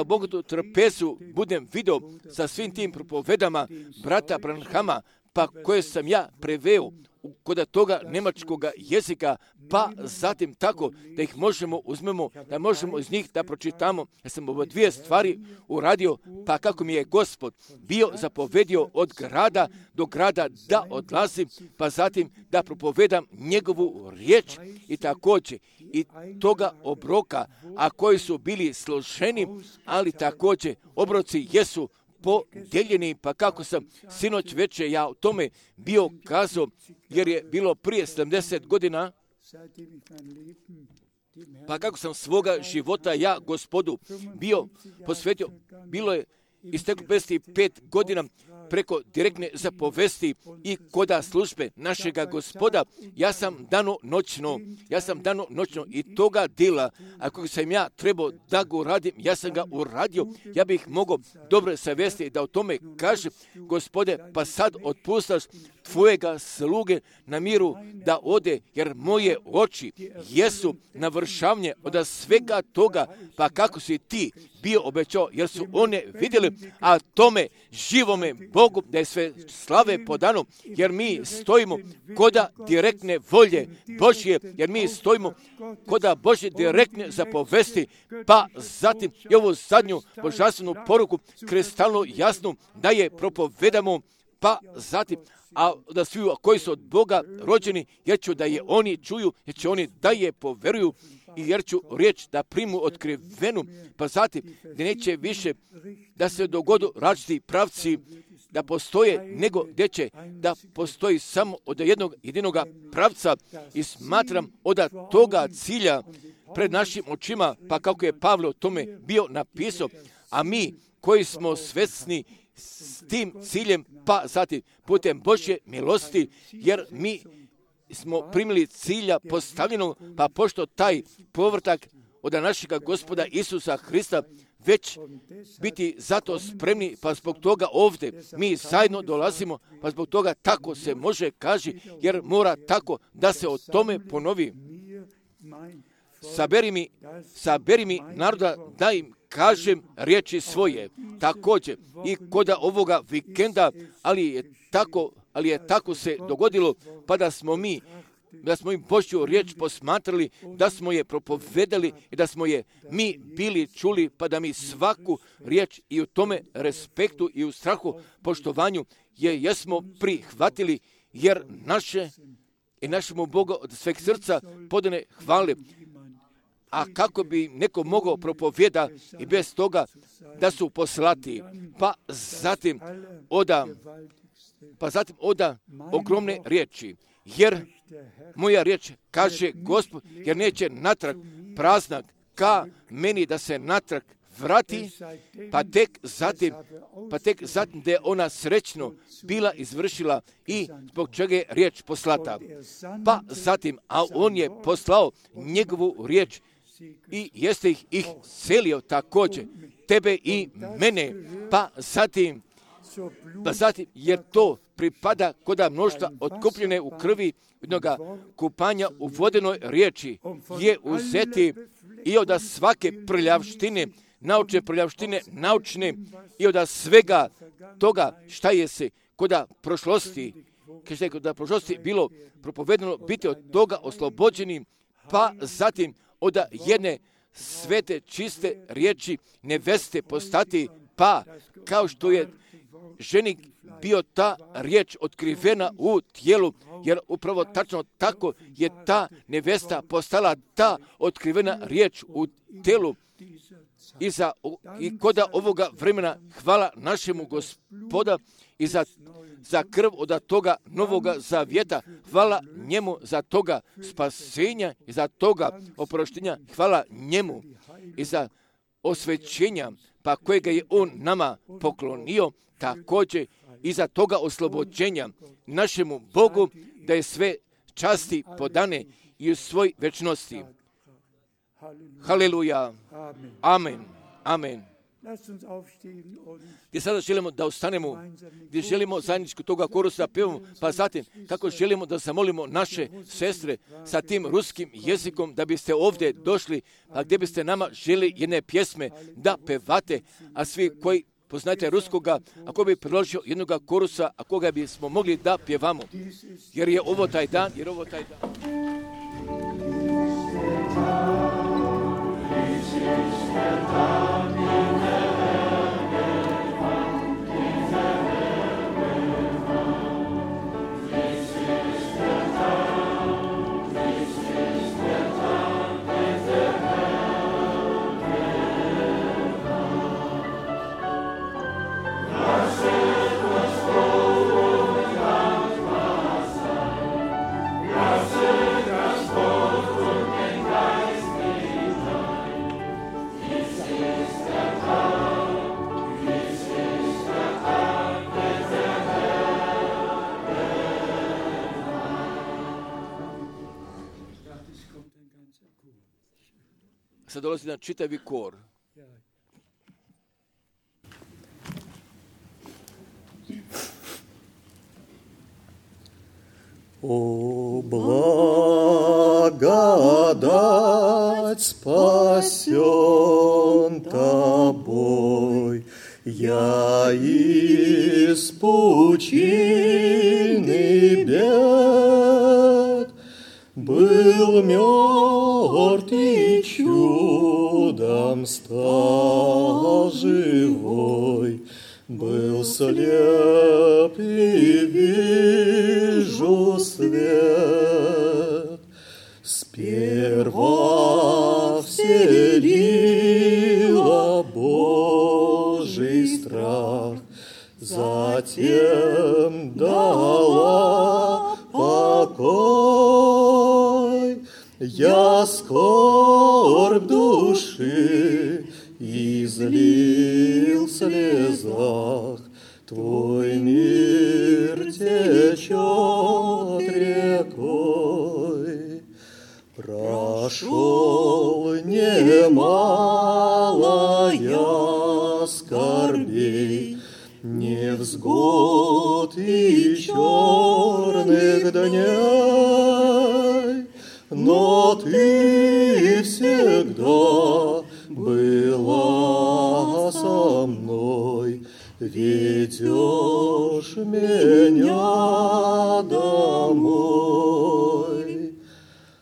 Speaker 1: bogatu trpezu budem vidio sa svim tim propovedama brata Branhama, pa koje sam ja preveo kod toga njemačkog jezika, pa zatim tako da ih uzmemo, da možemo iz njih da pročitamo. Ja sam ovo dvije stvari uradio, pa kako mi je Gospod bio zapovedio od grada do grada da odlazim, pa zatim da propovedam njegovu riječ i također i toga obroka, a koji su bili složeni, ali također obroci jesu podijeljeni, pa kako sam sinoć večer ja o tome bio kazao, jer je bilo prije 70 godina, pa kako sam svoga života ja Gospodu bio posvetio, bilo je isteklo 55 godina preko direktne zapovesti i koda službe našega Gospoda. Ja sam dano noćno i toga dela, ako sam ja trebao da ga uradim, ja sam ga uradio. Ja bih mogao dobro savjesti da o tome kaže, Gospode, pa sad otpustaš tvojega sluge na miru da ode, jer moje oči jesu navršavanje od svega toga, pa kako si ti bio obećao, jer su one vidjeli, a tome živome Bogu da je sve slave podano, jer mi stojimo koda direktne volje Božje, jer mi stojimo koda Božje direktne zapovesti, pa zatim i ovu zadnju božanstvenu poruku kristalno jasnu da je propovedamo, pa zatim a da svi koji su od Boga rođeni, jer ću da je oni čuju, jer će oni da je poveruju i jer ću riječ da primu otkrivenu, pa zatim da neće više da se dogodu različiti pravci da postoje, nego gdje će da postoji samo od jednog jedinoga pravca i smatram od toga cilja pred našim očima, pa kako je Pavlo tome bio napisao, a mi koji smo svjesni s tim ciljem, pa zatim putem Božje milosti, jer mi smo primili cilja postavljenog, pa pošto taj povrtak od našega Gospoda Isusa Hrista već biti zato spremni, pa zbog toga ovdje mi zajedno dolazimo, pa zbog toga tako se može kaži, jer mora tako da se o tome ponovi. Saberi mi naroda da im kažem riječi svoje. Također i kod ovoga vikenda, ali je tako se dogodilo, pa da smo im Božju riječ posmatrali, da smo je propovedali i da smo je mi bili čuli, pa da mi svaku riječ i u tome respektu i u strahu poštovanju jesmo prihvatili, jer našemu Bogu od sveg srca podane hvale. A kako bi neko mogao propovjeda i bez toga da su poslati, pa zatim oda ogromne riječi, jer moja riječ kaže Gospod, jer neće natrag praznak ka meni da se natrag vrati, pa tek zatim da je ona srećno bila izvršila i zbog čega je riječ poslata. Pa zatim, a on je poslao njegovu riječ i jeste ih selio također, tebe i mene, pa zatim, jer to pripada koda mnoštva otkupljene u krvi jednoga kupanja u vodenoj riječi je uzeti i od svake prljavštine, naučne i od svega toga šta je se koda prošlosti bilo propovedano biti od toga oslobođeni, pa zatim od jedne svete, čiste riječi neveste postati, pa kao što je ženi bio ta riječ otkrivena u tijelu, jer upravo tačno tako je ta nevesta postala ta otkrivena riječ u tijelu. I koda ovoga vremena hvala našemu Gospoda i za krv od toga novoga zavjeta, hvala njemu za toga spasenja i za toga oproštenja, hvala njemu i za osvećenja, pa kojega je on nama poklonio, također i za toga oslobođenja našemu Bogu, da je sve časti podane i u svoj večnosti. Haleluja. Amen. Amen. Gdje sada želimo da ustanemo, gdje želimo zajedničku toga korusa pevamo, pa zatim kako želimo da zamolimo naše sestre sa tim ruskim jezikom da biste ovdje došli, a gdje biste nama želi jedne pjesme da pevate, a svi koji poznajte ruskoga, ako bi priložio jednoga korusa, a koga bismo mogli da pjevamo. Jer je ovo taj dan, sad dolazi na čitavi kor.
Speaker 4: О, благодать спасен тобой, я из пучины бед был мертв и чудом стал живой, был слеп и вижу свет. Сперва вселила Божий страх, затем дала покой. Я скорбь души излил в слезах, Твой мир течет рекой. Прошел немало я скорбей, невзгод и черных дней, но Ты всегда была со мной, ведешь меня домой.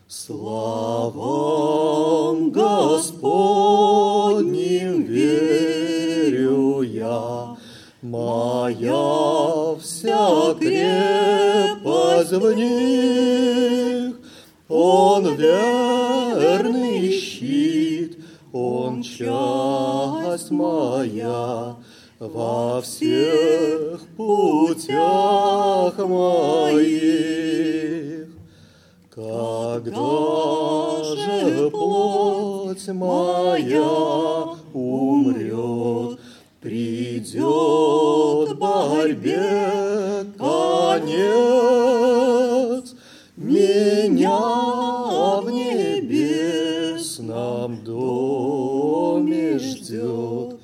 Speaker 4: Славам Господним верю я, моя вся крепость в них. Он верный щит, Он часть моя во всех путях моих. Когда же плоть моя умрет, придет борьбе конец, меня в небесном доме ждет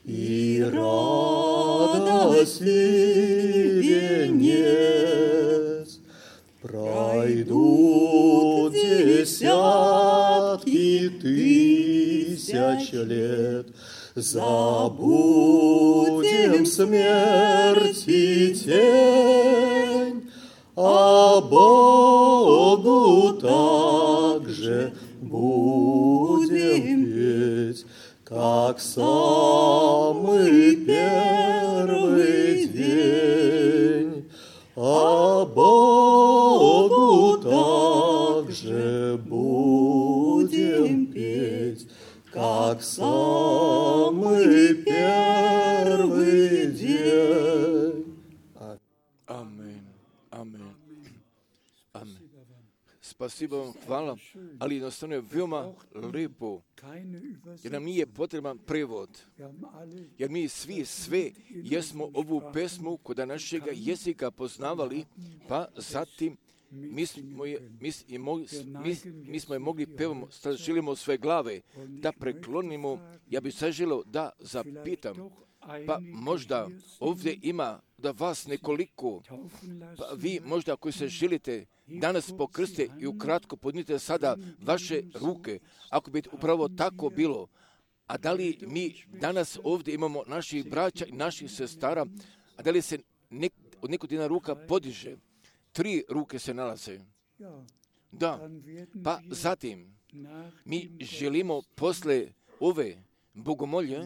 Speaker 4: и радость и венец. Пройдут десятки тысяч лет, забудем смерть и тень, а Богу также будем петь, как самый первый день. А Богу также будем петь, как самый первый день.
Speaker 1: Amen. Amen. Amen. Spasibo vam, hvala, ali jednostavno je veoma lijepo, jer nam nije potreban prevod, jer mi svi sve jesmo ovu pesmu kod našega jezika poznavali, pa zatim mi smo je mogli pevamo, sad želimo sve glave da preklonimo. Ja bih sad želio da zapitam, pa možda ovdje ima da vas nekoliko, pa vi možda koji se želite danas pokrstite i ukratko podnite sada vaše ruke, ako bi upravo tako bilo, A da li mi danas ovdje imamo naših braća i naših sestara, a da li se od nekodina ruka podiže? 3 ruke se nalaze. Da, pa zatim mi želimo posle ove bogomolje,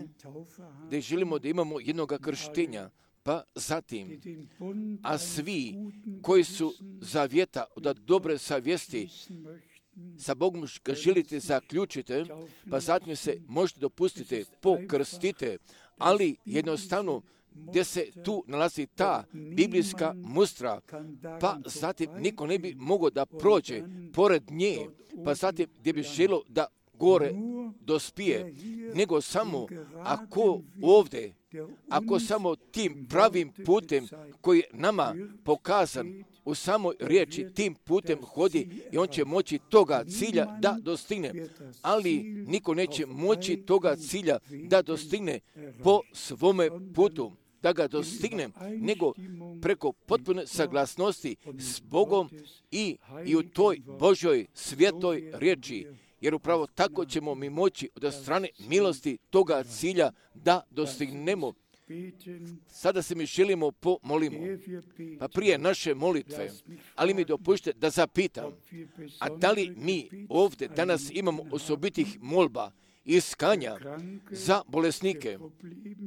Speaker 1: da želimo da imamo jednoga krštenja, pa zatim, a svi koji su zavjeta od dobre savjesti, sa Bogom ga želite zaključite, pa zatim se možete dopustiti, pokrstite, ali jednostavno gdje se tu nalazi ta biblijska mustra, pa zatim niko ne bi mogao da prođe pored nje, pa zatim gdje bi želo da gore dospije, nego samo ako ovdje, ako samo tim pravim putem koji je nama pokazan u samoj riječi, tim putem hodi i on će moći toga cilja da dostigne. Ali niko neće moći toga cilja da dostigne po svome putu, da ga dostigne, nego preko potpune saglasnosti s Bogom i u toj Božoj svjetoj riječi. Jer upravo tako ćemo mi moći od strane milosti toga cilja da dostignemo. Sada se mi želimo pomolimo, pa prije naše molitve, ali mi dopušte da zapitam, a da li mi ovdje danas imamo osobitih molba i iskanja za bolesnike,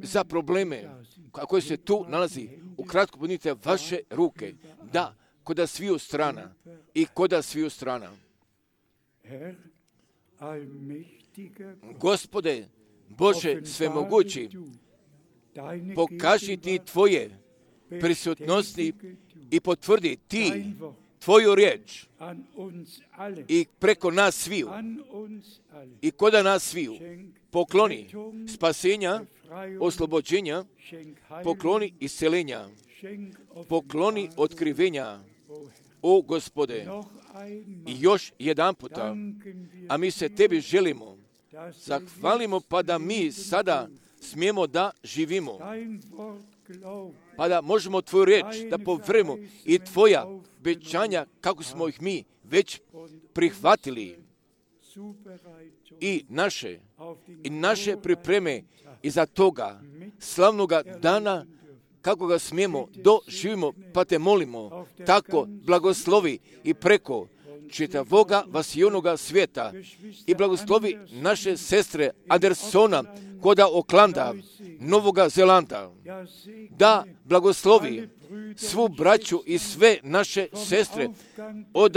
Speaker 1: za probleme koji se tu nalazi? Ukratko podnite vaše ruke, da, koda sviju strana i koda sviju strana. Gospode, Bože svemogući, pokaži ti tvoje prisutnosti i potvrdi ti tvoju riječ i preko nas sviju i koda nas sviju pokloni spasenja, oslobođenja, pokloni isceljenja, pokloni otkrivenja, o Gospode. I još jedan puta, a mi se tebi želimo, zahvalimo pa da mi sada smijemo da živimo, pa da možemo tvoju riječ da povremo i tvoja obećanja kako smo ih mi već prihvatili i naše pripreme iza toga slavnoga dana kako ga smijemo doživimo, pa te molimo, tako blagoslovi i preko čitavoga vasijonoga svijeta i blagoslovi naše sestre Andersona koda Oklanda, Novoga Zelanda, da blagoslovi svu braću i sve naše sestre od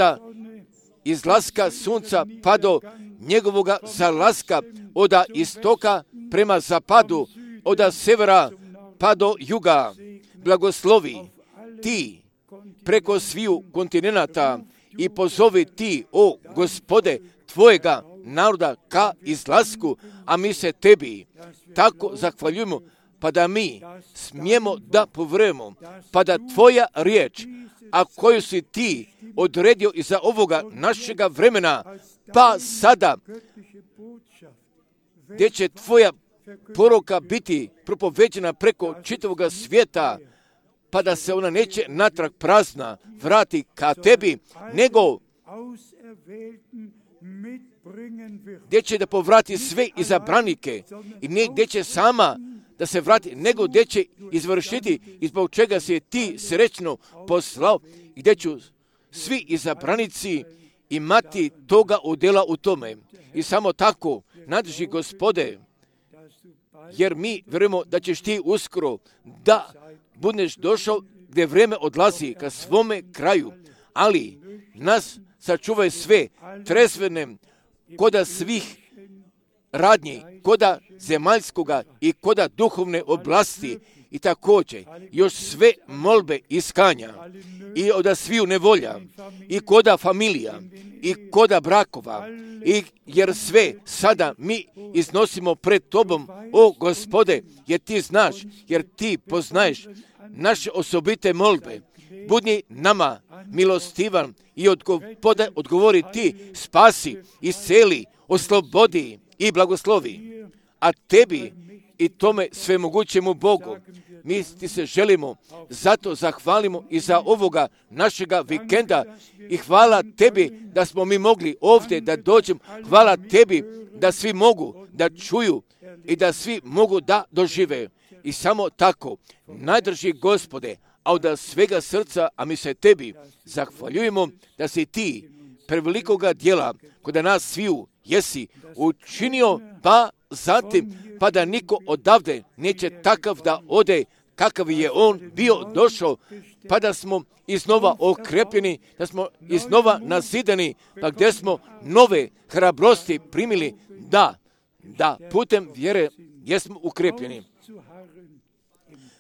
Speaker 1: izlaska sunca pa do njegovoga zalaska, od istoka prema zapadu, od severa pa do juga. Blagoslovi ti preko sviju kontinenata i pozovi ti, o Gospode, tvojega naroda ka izlasku, a mi se tebi tako zahvaljujemo, pa da mi smijemo da povremo, pa da tvoja riječ, a koju si ti odredio iza ovoga našega vremena, pa sada, gdje će tvoja poruka biti propoveđena preko čitavoga svijeta, pa da se ona neće natrag prazna vrati ka tebi, nego gdje će da povrati sve izabranike i ne gdje će sama da se vrati, nego gdje će izvršiti i zbog čega se ti srećno poslao i gdje ću svi izabranici imati toga udjela u tome. I samo tako, nadrži Gospode, jer mi vjerujemo da ćeš ti uskoro da budeš došao gdje vrijeme odlazi ka svome kraju, ali nas sačuvaj sve tresvene koda svih radnji, koda zemaljskoga i koda duhovne oblasti i također još sve molbe iskanja i od sviju nevolja i koda familija i koda brakova i jer sve sada mi iznosimo pred tobom, o Gospode, jer ti znaš, jer ti poznaješ naše osobite molbe. Budi nama milostivan i odgovori ti, spasi, isceli, oslobodi i blagoslovi. A tebi i tome svemogućemu Bogu mi ti se želimo, zato zahvalimo i za ovoga našega vikenda i hvala tebi da smo mi mogli ovdje da dođemo, hvala tebi da svi mogu da čuju i da svi mogu da dožive. I samo tako, najdrži Gospode, a od svega srca, a mi se tebi zahvaljujemo da si ti prevelikoga djela kod nas sviju jesi učinio, pa zatim, pa da niko odavde neće takav da ode kakav je on bio došao, pa da smo iznova okrepljeni, da smo iznova nazidani, pa gdje smo nove hrabrosti primili, da putem vjere jesmo ukrepljeni.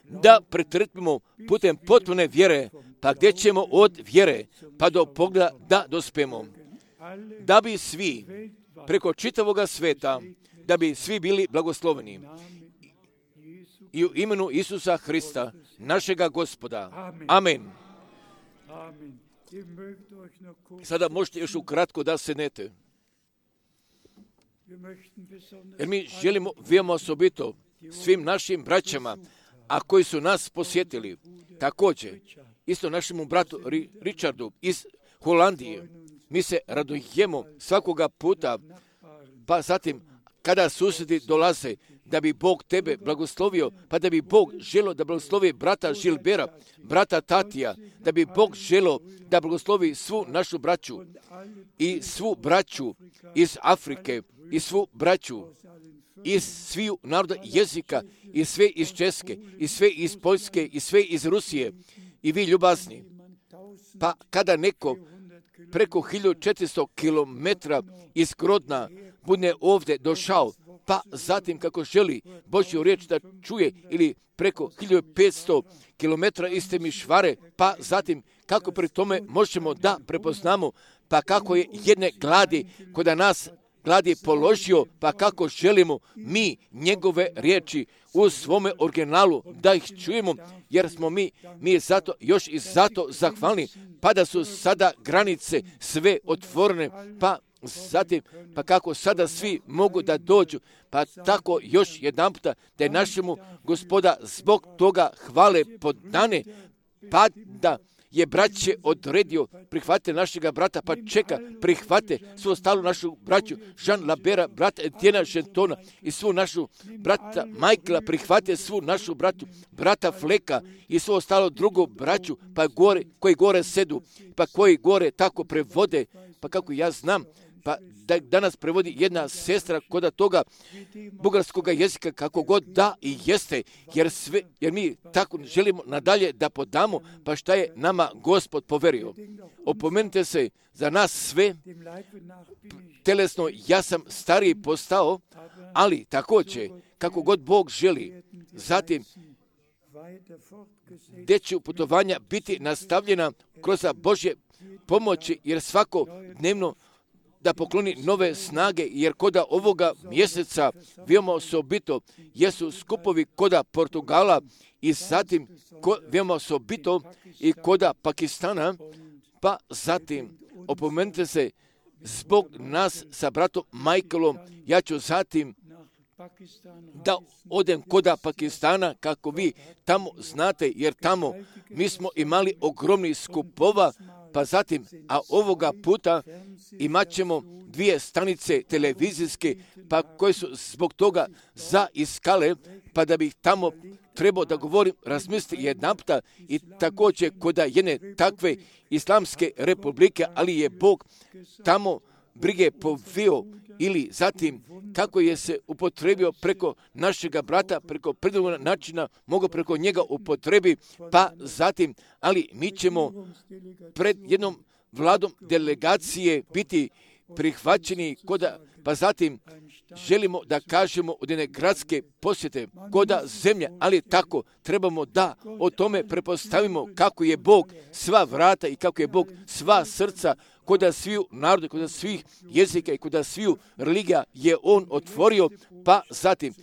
Speaker 1: Da pretrpimo putem potpune vjere, pa gdje ćemo od vjere pa do pogleda da dospemo. Da bi svi preko čitavoga sveta, da bi svi bili blagosloveni. I u imenu Isusa Hrista, našega Gospoda. Amen. Sada možete još ukratko da sednete. Jer mi želimo veoma osobito svim našim braćama, a koji su nas posjetili, također, isto našemu bratu Richardu iz Holandije. Mi se radujemo svakoga puta, pa zatim kada susjedi dolaze, da bi Bog tebe blagoslovio, pa da bi Bog želio da blagoslovi brata Žilbera, brata Tatija, da bi Bog želio da blagoslovi svu našu braću i svu braću iz Afrike i svu braću iz sviju naroda jezika i sve iz Česke i sve iz Poljske i sve iz Rusije i vi ljubazni. Pa kada neko preko 1400 kilometra iz Grodna bude ovdje došao, pa zatim kako želi Božju riječ da čuje, ili preko 1500 kilometra iz Temišvare, pa zatim kako pri tome možemo da prepoznamo, pa kako je jedne gladi kod nas gladi položio, pa kako želimo mi njegove riječi u svome originalu da ih čujemo, jer smo mi zato još i zato zahvalni, pa da su sada granice sve otvorene, pa zatim, pa kako sada svi mogu da dođu, pa tako još jedan puta da je našemu Gospoda zbog toga hvale podane, pa da je braće odredio, prihvate našega brata, pa čeka, prihvate svu ostalu našu braću, Jean Labera, brata Etiena Gentona i svu našu brata Michaela, prihvate svu našu bratu, brata Fleka i svu ostalo drugu braću, pa gore, koji gore sedu, pa koji gore tako prevode, pa kako ja znam, pa da danas prevodi jedna sestra kod toga bugarskog jezika, kako god da i jeste, jer mi tako želimo nadalje da podamo, pa šta je nama Gospod poverio. Opomenite se, za nas sve, telesno ja sam stariji postao, ali također, kako god Bog želi, zatim gdje će putovanja biti nastavljena kroz Božje pomoći, jer svako dnevno da pokloni nove snage, jer koda ovoga mjeseca veoma osobito jesu skupovi koda Portugala i zatim veoma osobito i koda Pakistana, pa zatim opomenite se zbog nas sa bratom Michaelom, ja ću zatim da odem koda Pakistana, kako vi tamo znate, jer tamo mi smo imali ogromni skupova, pa zatim, a ovoga puta imat ćemo 2 stanice televizijske, pa koje su zbog toga zaiskale, pa da bih tamo trebao da govorim, razmisliti jedanputa i također kod jedne takve islamske republike, ali je Bog tamo brige povio, ili zatim kako je se upotrebio preko našega brata, preko predivnog načina, mogu preko njega upotrebi, pa zatim, ali mi ćemo pred jednom vladom delegacije biti prihvaćeni pa zatim želimo da kažemo od jedne gradske posjete koda zemlje, ali tako trebamo da o tome prepostavimo kako je Bog sva vrata i kako je Bog sva srca koda sviju naroda, koda svih jezika i koda sviju religija je On otvorio, pa zatim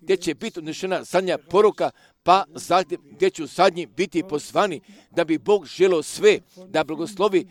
Speaker 1: gdje će biti odnešena zadnja poruka, pa zatim gdje ću zadnji biti pozvani, da bi Bog želio sve da blagoslovi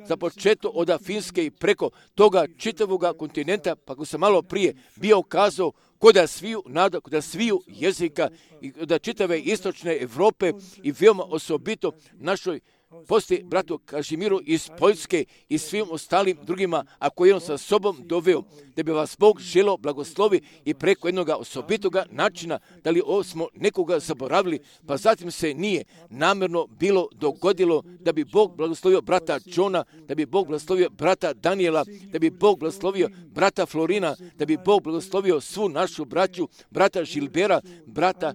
Speaker 1: za početo od Finske i preko toga čitavoga kontinenta, pa ko sam malo prije bio kazao, koda sviju naroda, koda sviju jezika i koda čitave istočne Evrope i veoma osobito našoj poslije bratu Kažimiru iz Poljske i svim ostalim drugima, a koji je on sa sobom doveo, da bi vas Bog želeo blagoslovi i preko jednoga osobitoga načina, da li smo nekoga zaboravili, pa zatim se nije namjerno bilo dogodilo da bi Bog blagoslovio brata Johna, da bi Bog blagoslovio brata Daniela, da bi Bog blagoslovio brata Florina, da bi Bog blagoslovio svu našu braću, brata Žilbera, brata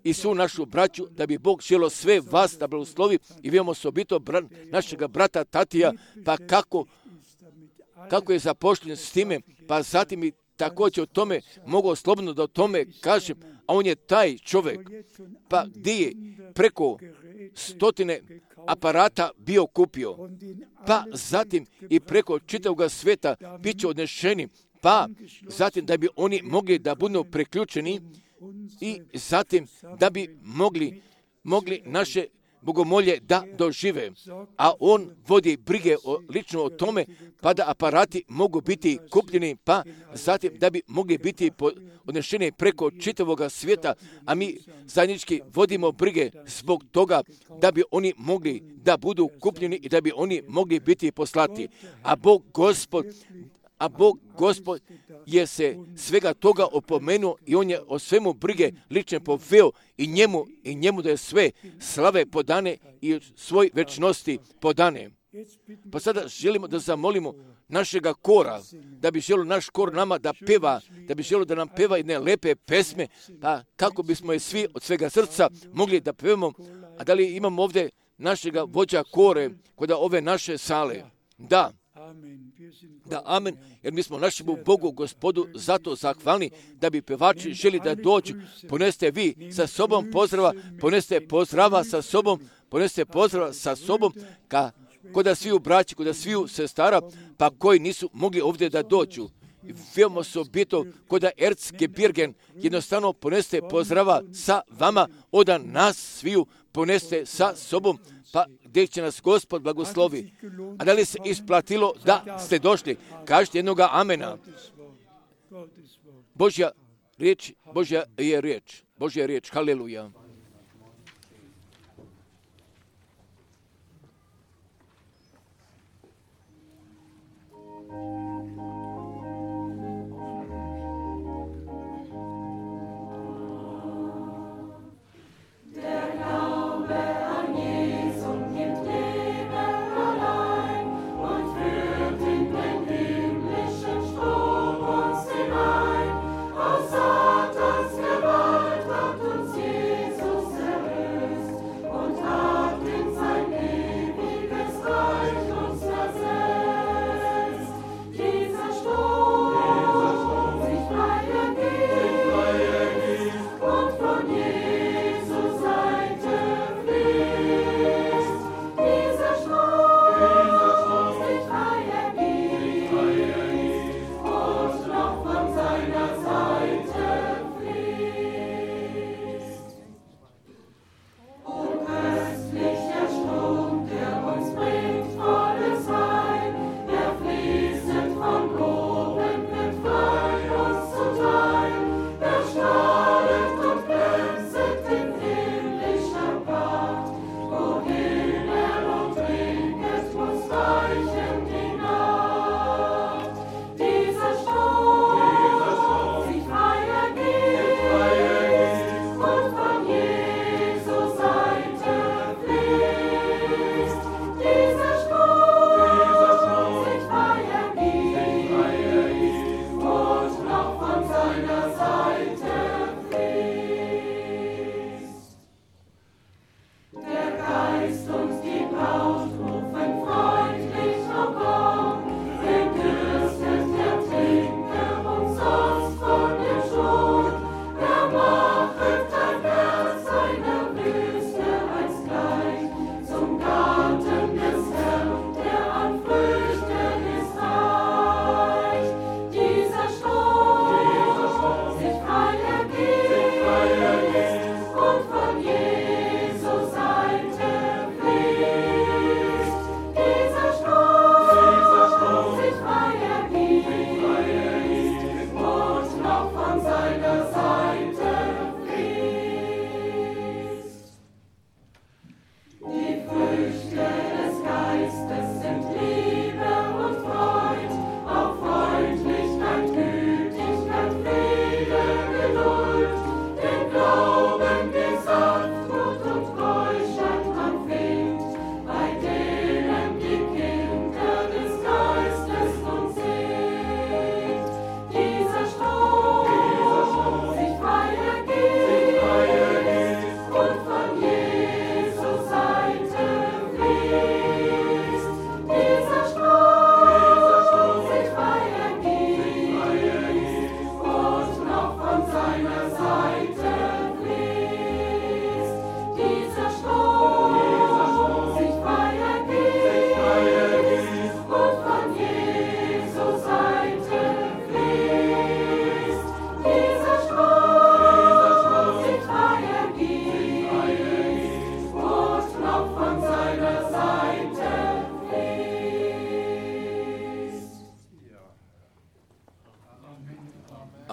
Speaker 1: i svu našu braću, da bi Bog želio sve vas da blagoslovi i vidimo osobito našega brata Tatija, pa kako je zapošljen s time, pa zatim i također o tome mogu slobodno da o tome kažem, a on je taj čovjek, pa gdje je preko 100 aparata bio kupio, pa zatim i preko čitavog sveta bit će odnešeni, pa zatim da bi oni mogli da budu preključeni i zatim da bi mogli naše bogomolje da dožive. A on vodi brige lično o tome, pa da aparati mogu biti kupljeni, pa zatim da bi mogli biti odnešeni preko čitavog svijeta, a mi zajednički vodimo brige zbog toga da bi oni mogli da budu kupljeni i da bi oni mogli biti poslati. A Bog Gospod je se svega toga opomenuo i on je o svemu brige lično poveo i njemu da je sve slave podane i svoj večnosti podane. Pa sada želimo da zamolimo našega kora, da bi želio naš kor nama da peva, da bi želio da nam peva jedne lepe pesme, pa kako bismo je svi od svega srca mogli da pevamo. A da li imamo ovdje našega vođa kore kod ove naše sale? Da, amen, jer mi smo našemu Bogu, Gospodu, zato zahvalni da bi pevači želi da dođu. Poneste vi sa sobom pozdrava, poneste pozdrava sa sobom, koda sviju braći, koda sviju sestara, pa koji nisu mogli ovdje da dođu. Veoma osobito koda Erzgebirgen, jednostavno poneste pozdrava sa vama, od nas sviju poneste sa sobom, pa gdje će nas Gospod blagoslovi. A da li se isplatilo da ste došli? Kažite jednoga amena. Božja je riječ, haleluja.
Speaker 5: Satans Gewalt hat uns Jesus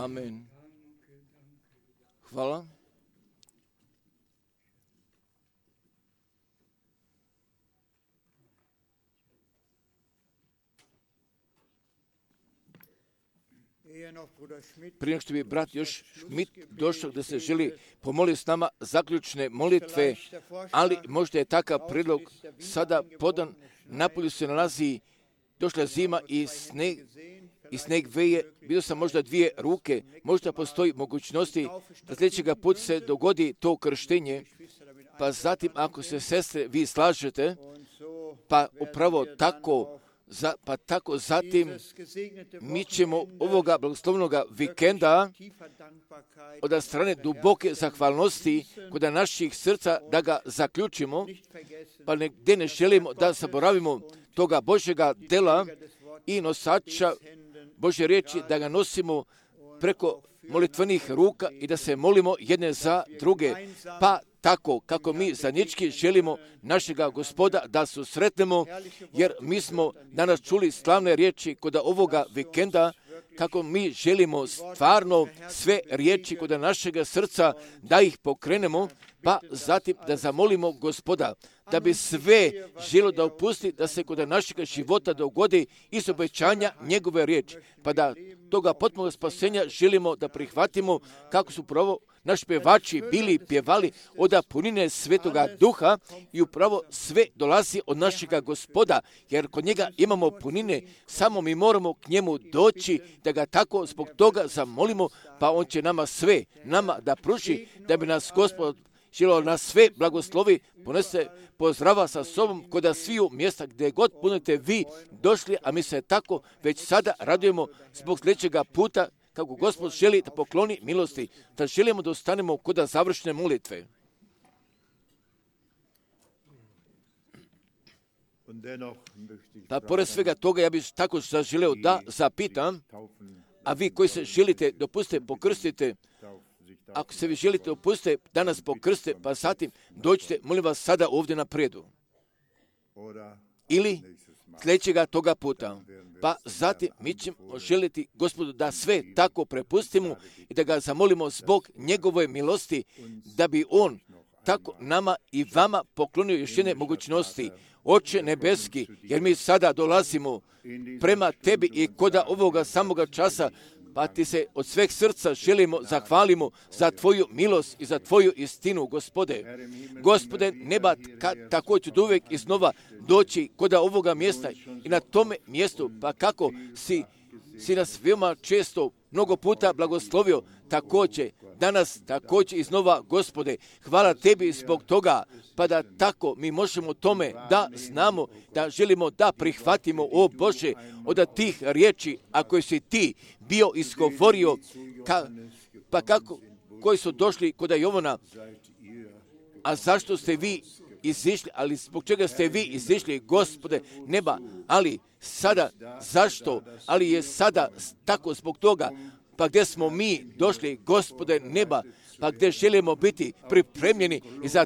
Speaker 1: Amen. Hvala. Prije što bi brat još Schmidt došao da se želi pomoliti s nama zaključne molitve, ali možda je takav prijedlog sada podan. Napolju se nalazi, došla zima i sneg veje, vidio sam možda 2 ruke, možda postoji mogućnosti da sljedećega put se dogodi to krštenje, pa zatim ako se sestre vi slažete, pa upravo tako, zatim mi ćemo ovoga blagoslovnoga vikenda od strane duboke zahvalnosti kod naših srca da ga zaključimo, pa gdje ne želimo da zaboravimo toga Božjega dela i nosača Božje riječi, da ga nosimo preko molitvenih ruka i da se molimo jedne za druge, pa tako kako mi zajednički želimo našega Gospoda da susretnemo, jer mi smo danas čuli slavne riječi kod ovoga vikenda, kako mi želimo stvarno sve riječi kod našega srca da ih pokrenemo, pa zatim da zamolimo Gospoda da bi sve želo da opusti, da se kod našega života dogodi iz obećanja njegove riječi, pa da toga potpunog spasenja želimo da prihvatimo kako su upravo naši pevači bili pjevali od punine Svetoga Duha i upravo sve dolazi od našega Gospoda, jer kod njega imamo punine, samo mi moramo k njemu doći da ga tako zbog toga zamolimo, pa on će nama da pruži, da bi nas Gospod želio nas sve blagoslovi, ponese pozdrava sa sobom kod sviju mjesta gdje god budete vi došli, a mi se tako već sada radujemo zbog sljedećega puta kako Gospod želi da pokloni milosti, da želimo da ostanemo kod završne molitve. Pa pored svega toga ja bih tako zaželeo da zapitam, a vi koji se želite dopustite pokrstite, ako se vi želite dopustite danas pokrstite, pa zatim dođite, molim vas sada ovdje napredu. Ili sljedećega toga puta. Pa zatim mi ćemo želiti Gospodu da sve tako prepustimo i da ga zamolimo zbog njegove milosti, da bi on tako nama i vama poklonio još jedne mogućnosti. Oče nebeski, jer mi sada dolazimo prema tebi i koda ovoga samoga časa, pa ti se od sveg srca želimo, zahvalimo za tvoju milost i za tvoju istinu, Gospode. Gospode neba, tako ću uvijek iznova doći kod ovoga mjesta i na tome mjestu, pa kako si nas veoma često, mnogo puta blagoslovio, također, danas također iznova, Gospode, hvala tebi zbog toga, pa da tako mi možemo tome da znamo, da želimo da prihvatimo, o Bože, od tih riječi, a koje si ti bio izgovorio, pa kako, koji su došli kod Jovana, a zašto ste vi izišli, ali zbog čega ste vi izišli, Gospode neba, ali sada, zašto, ali je sada tako zbog toga, pa gdje smo mi došli, Gospode neba, pa gdje želimo biti pripremljeni i za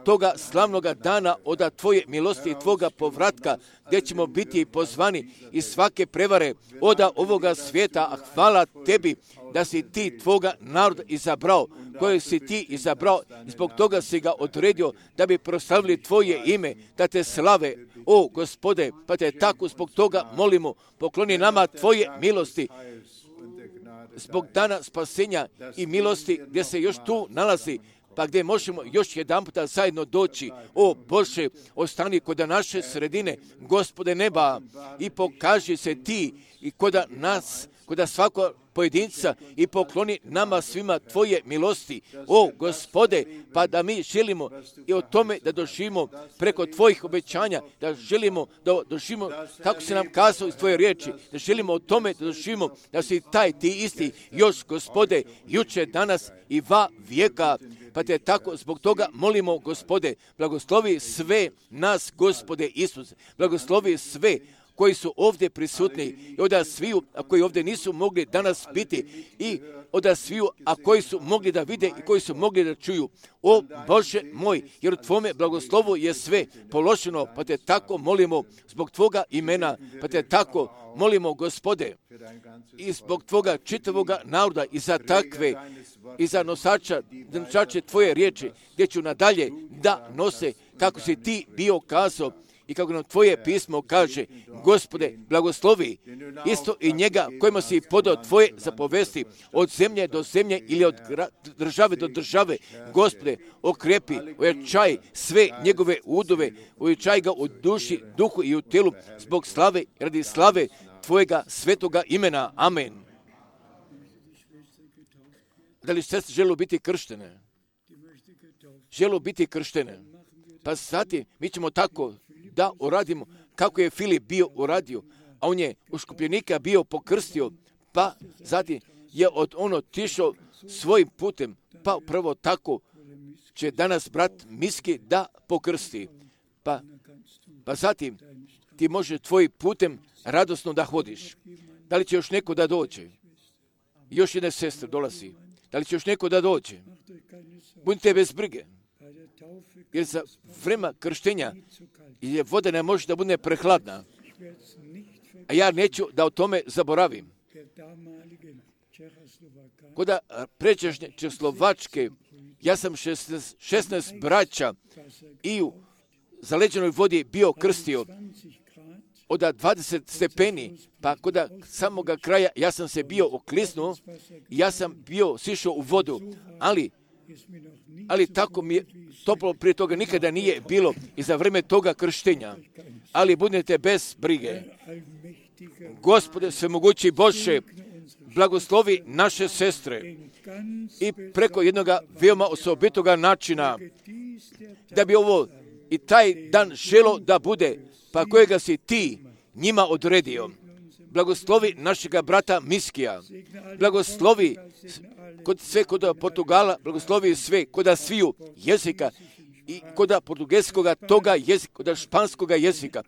Speaker 1: toga slavnoga dana od tvoje milosti i tvoga povratka, gdje ćemo biti pozvani iz svake prevare od ovoga svijeta, a hvala tebi da si ti tvoga naroda izabrao, koje si ti izabrao i zbog toga si ga odredio da bi proslavili tvoje ime, da te slave, o Gospode, pa te tako zbog toga molimo, pokloni nama tvoje milosti, zbog dana spasenja i milosti gdje se još tu nalazi, pa gdje možemo još jedan puta zajedno doći. O Bože, ostani kod naše sredine, Gospode neba, i pokaži se ti i kod nas, kod svakog pojedinca i pokloni nama svima tvoje milosti. O Gospode, pa da mi želimo i o tome da doživimo preko tvojih obećanja, da želimo da doživimo kako se nam kazao iz tvoje riječi, da želimo o tome da doživimo da si taj ti isti još, Gospode, juče, danas i va vijeka. Pa te tako zbog toga molimo, Gospode, blagoslovi sve nas, Gospode Isuse, blagoslovi sve koji su ovdje prisutni i od sviju, a koji ovdje nisu mogli danas biti i od sviju, a koji su mogli da vide i koji su mogli da čuju. O Bože moj, jer u Tvome blagoslovu je sve položeno, pa te tako molimo zbog Tvoga imena, pa te tako molimo, Gospode, i zbog Tvoga čitavoga naroda i za takve, i za nosače Tvoje riječi, gdje ću nadalje da nose kako si Ti bio kazao i kako nam Tvoje pismo kaže. Gospode, blagoslovi isto i njega kojima si podao Tvoje zapovesti od zemlje do zemlje ili od države do države. Gospode, okrepi, ojačaj sve njegove udove, ojačaj ga u duši, duhu i u tijelu zbog slave, radi slave Tvojega svetoga imena. Amen. Da li sestre žele biti krštene? Žele biti krštene. Pa zatim mi ćemo tako da uradimo kako je Filip bio uradio, a on je uskupljenika bio pokrstio, pa zatim je od ono otišao svojim putem, pa upravo tako će danas brat Miski da pokrsti. Pa zatim ti možeš tvojim putem radosno da hodiš. Da li će još neko da dođe? Još jedna sestra dolazi. Da li će još neko da dođe? Budite bez brige. Jer za vreme krštenja je voda ne može da bude prehladna. A ja neću da o tome zaboravim. Kod pređašnje Čehoslovačke, ja sam 16 braća i u zaleđenoj vodi bio krstio od 20 stepeni, pa kod samoga kraja ja sam se bio oklisnuo i ja sam bio sišao u vodu, ali tako mi je toplo prije toga nikada nije bilo i za vrijeme toga krštenja. Ali budete bez brige. Gospode svemogući Bože, blagoslovi naše sestre i preko jednoga veoma osobitoga načina, da bi ovo i taj dan želo da bude, pa kojega si Ti njima odredio. Blagoslovi našega brata Miskija, blagoslovi sve kod Portugala, blagoslovi sve kod sviju jezika i kod portugelskoga toga jezika, kod španskoga jezika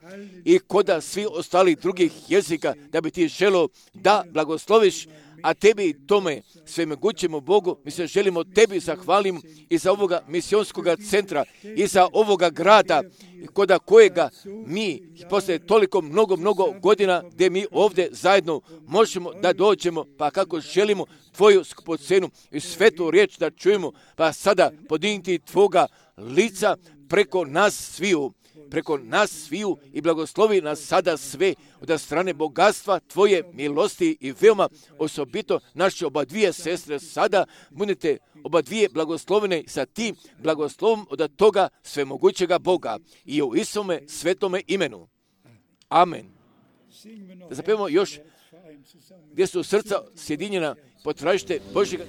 Speaker 1: i kod svih ostalih drugih jezika, da bi Ti želo da blagosloviš, a Tebi tome svemogućemu Bogu mi se želimo Tebi zahvalimo i za ovoga misionskoga centra i za ovoga grada kod kojega mi posle toliko mnogo godina gdje mi ovdje zajedno možemo da dođemo, pa kako želimo Tvoju skupocenu i svetu riječ da čujemo, pa sada podignuti Tvoga lica preko nas sviju i blagoslovi nas sada sve od strane bogatstva Tvoje milosti i veoma osobito naše oba dvije sestre sada budete oba dvije blagoslovene sa Tim blagoslovom od toga svemogućega Boga i u Isome svetome imenu. Amen. Da zapevamo još gdje su srca sjedinjena, potražite Božjega.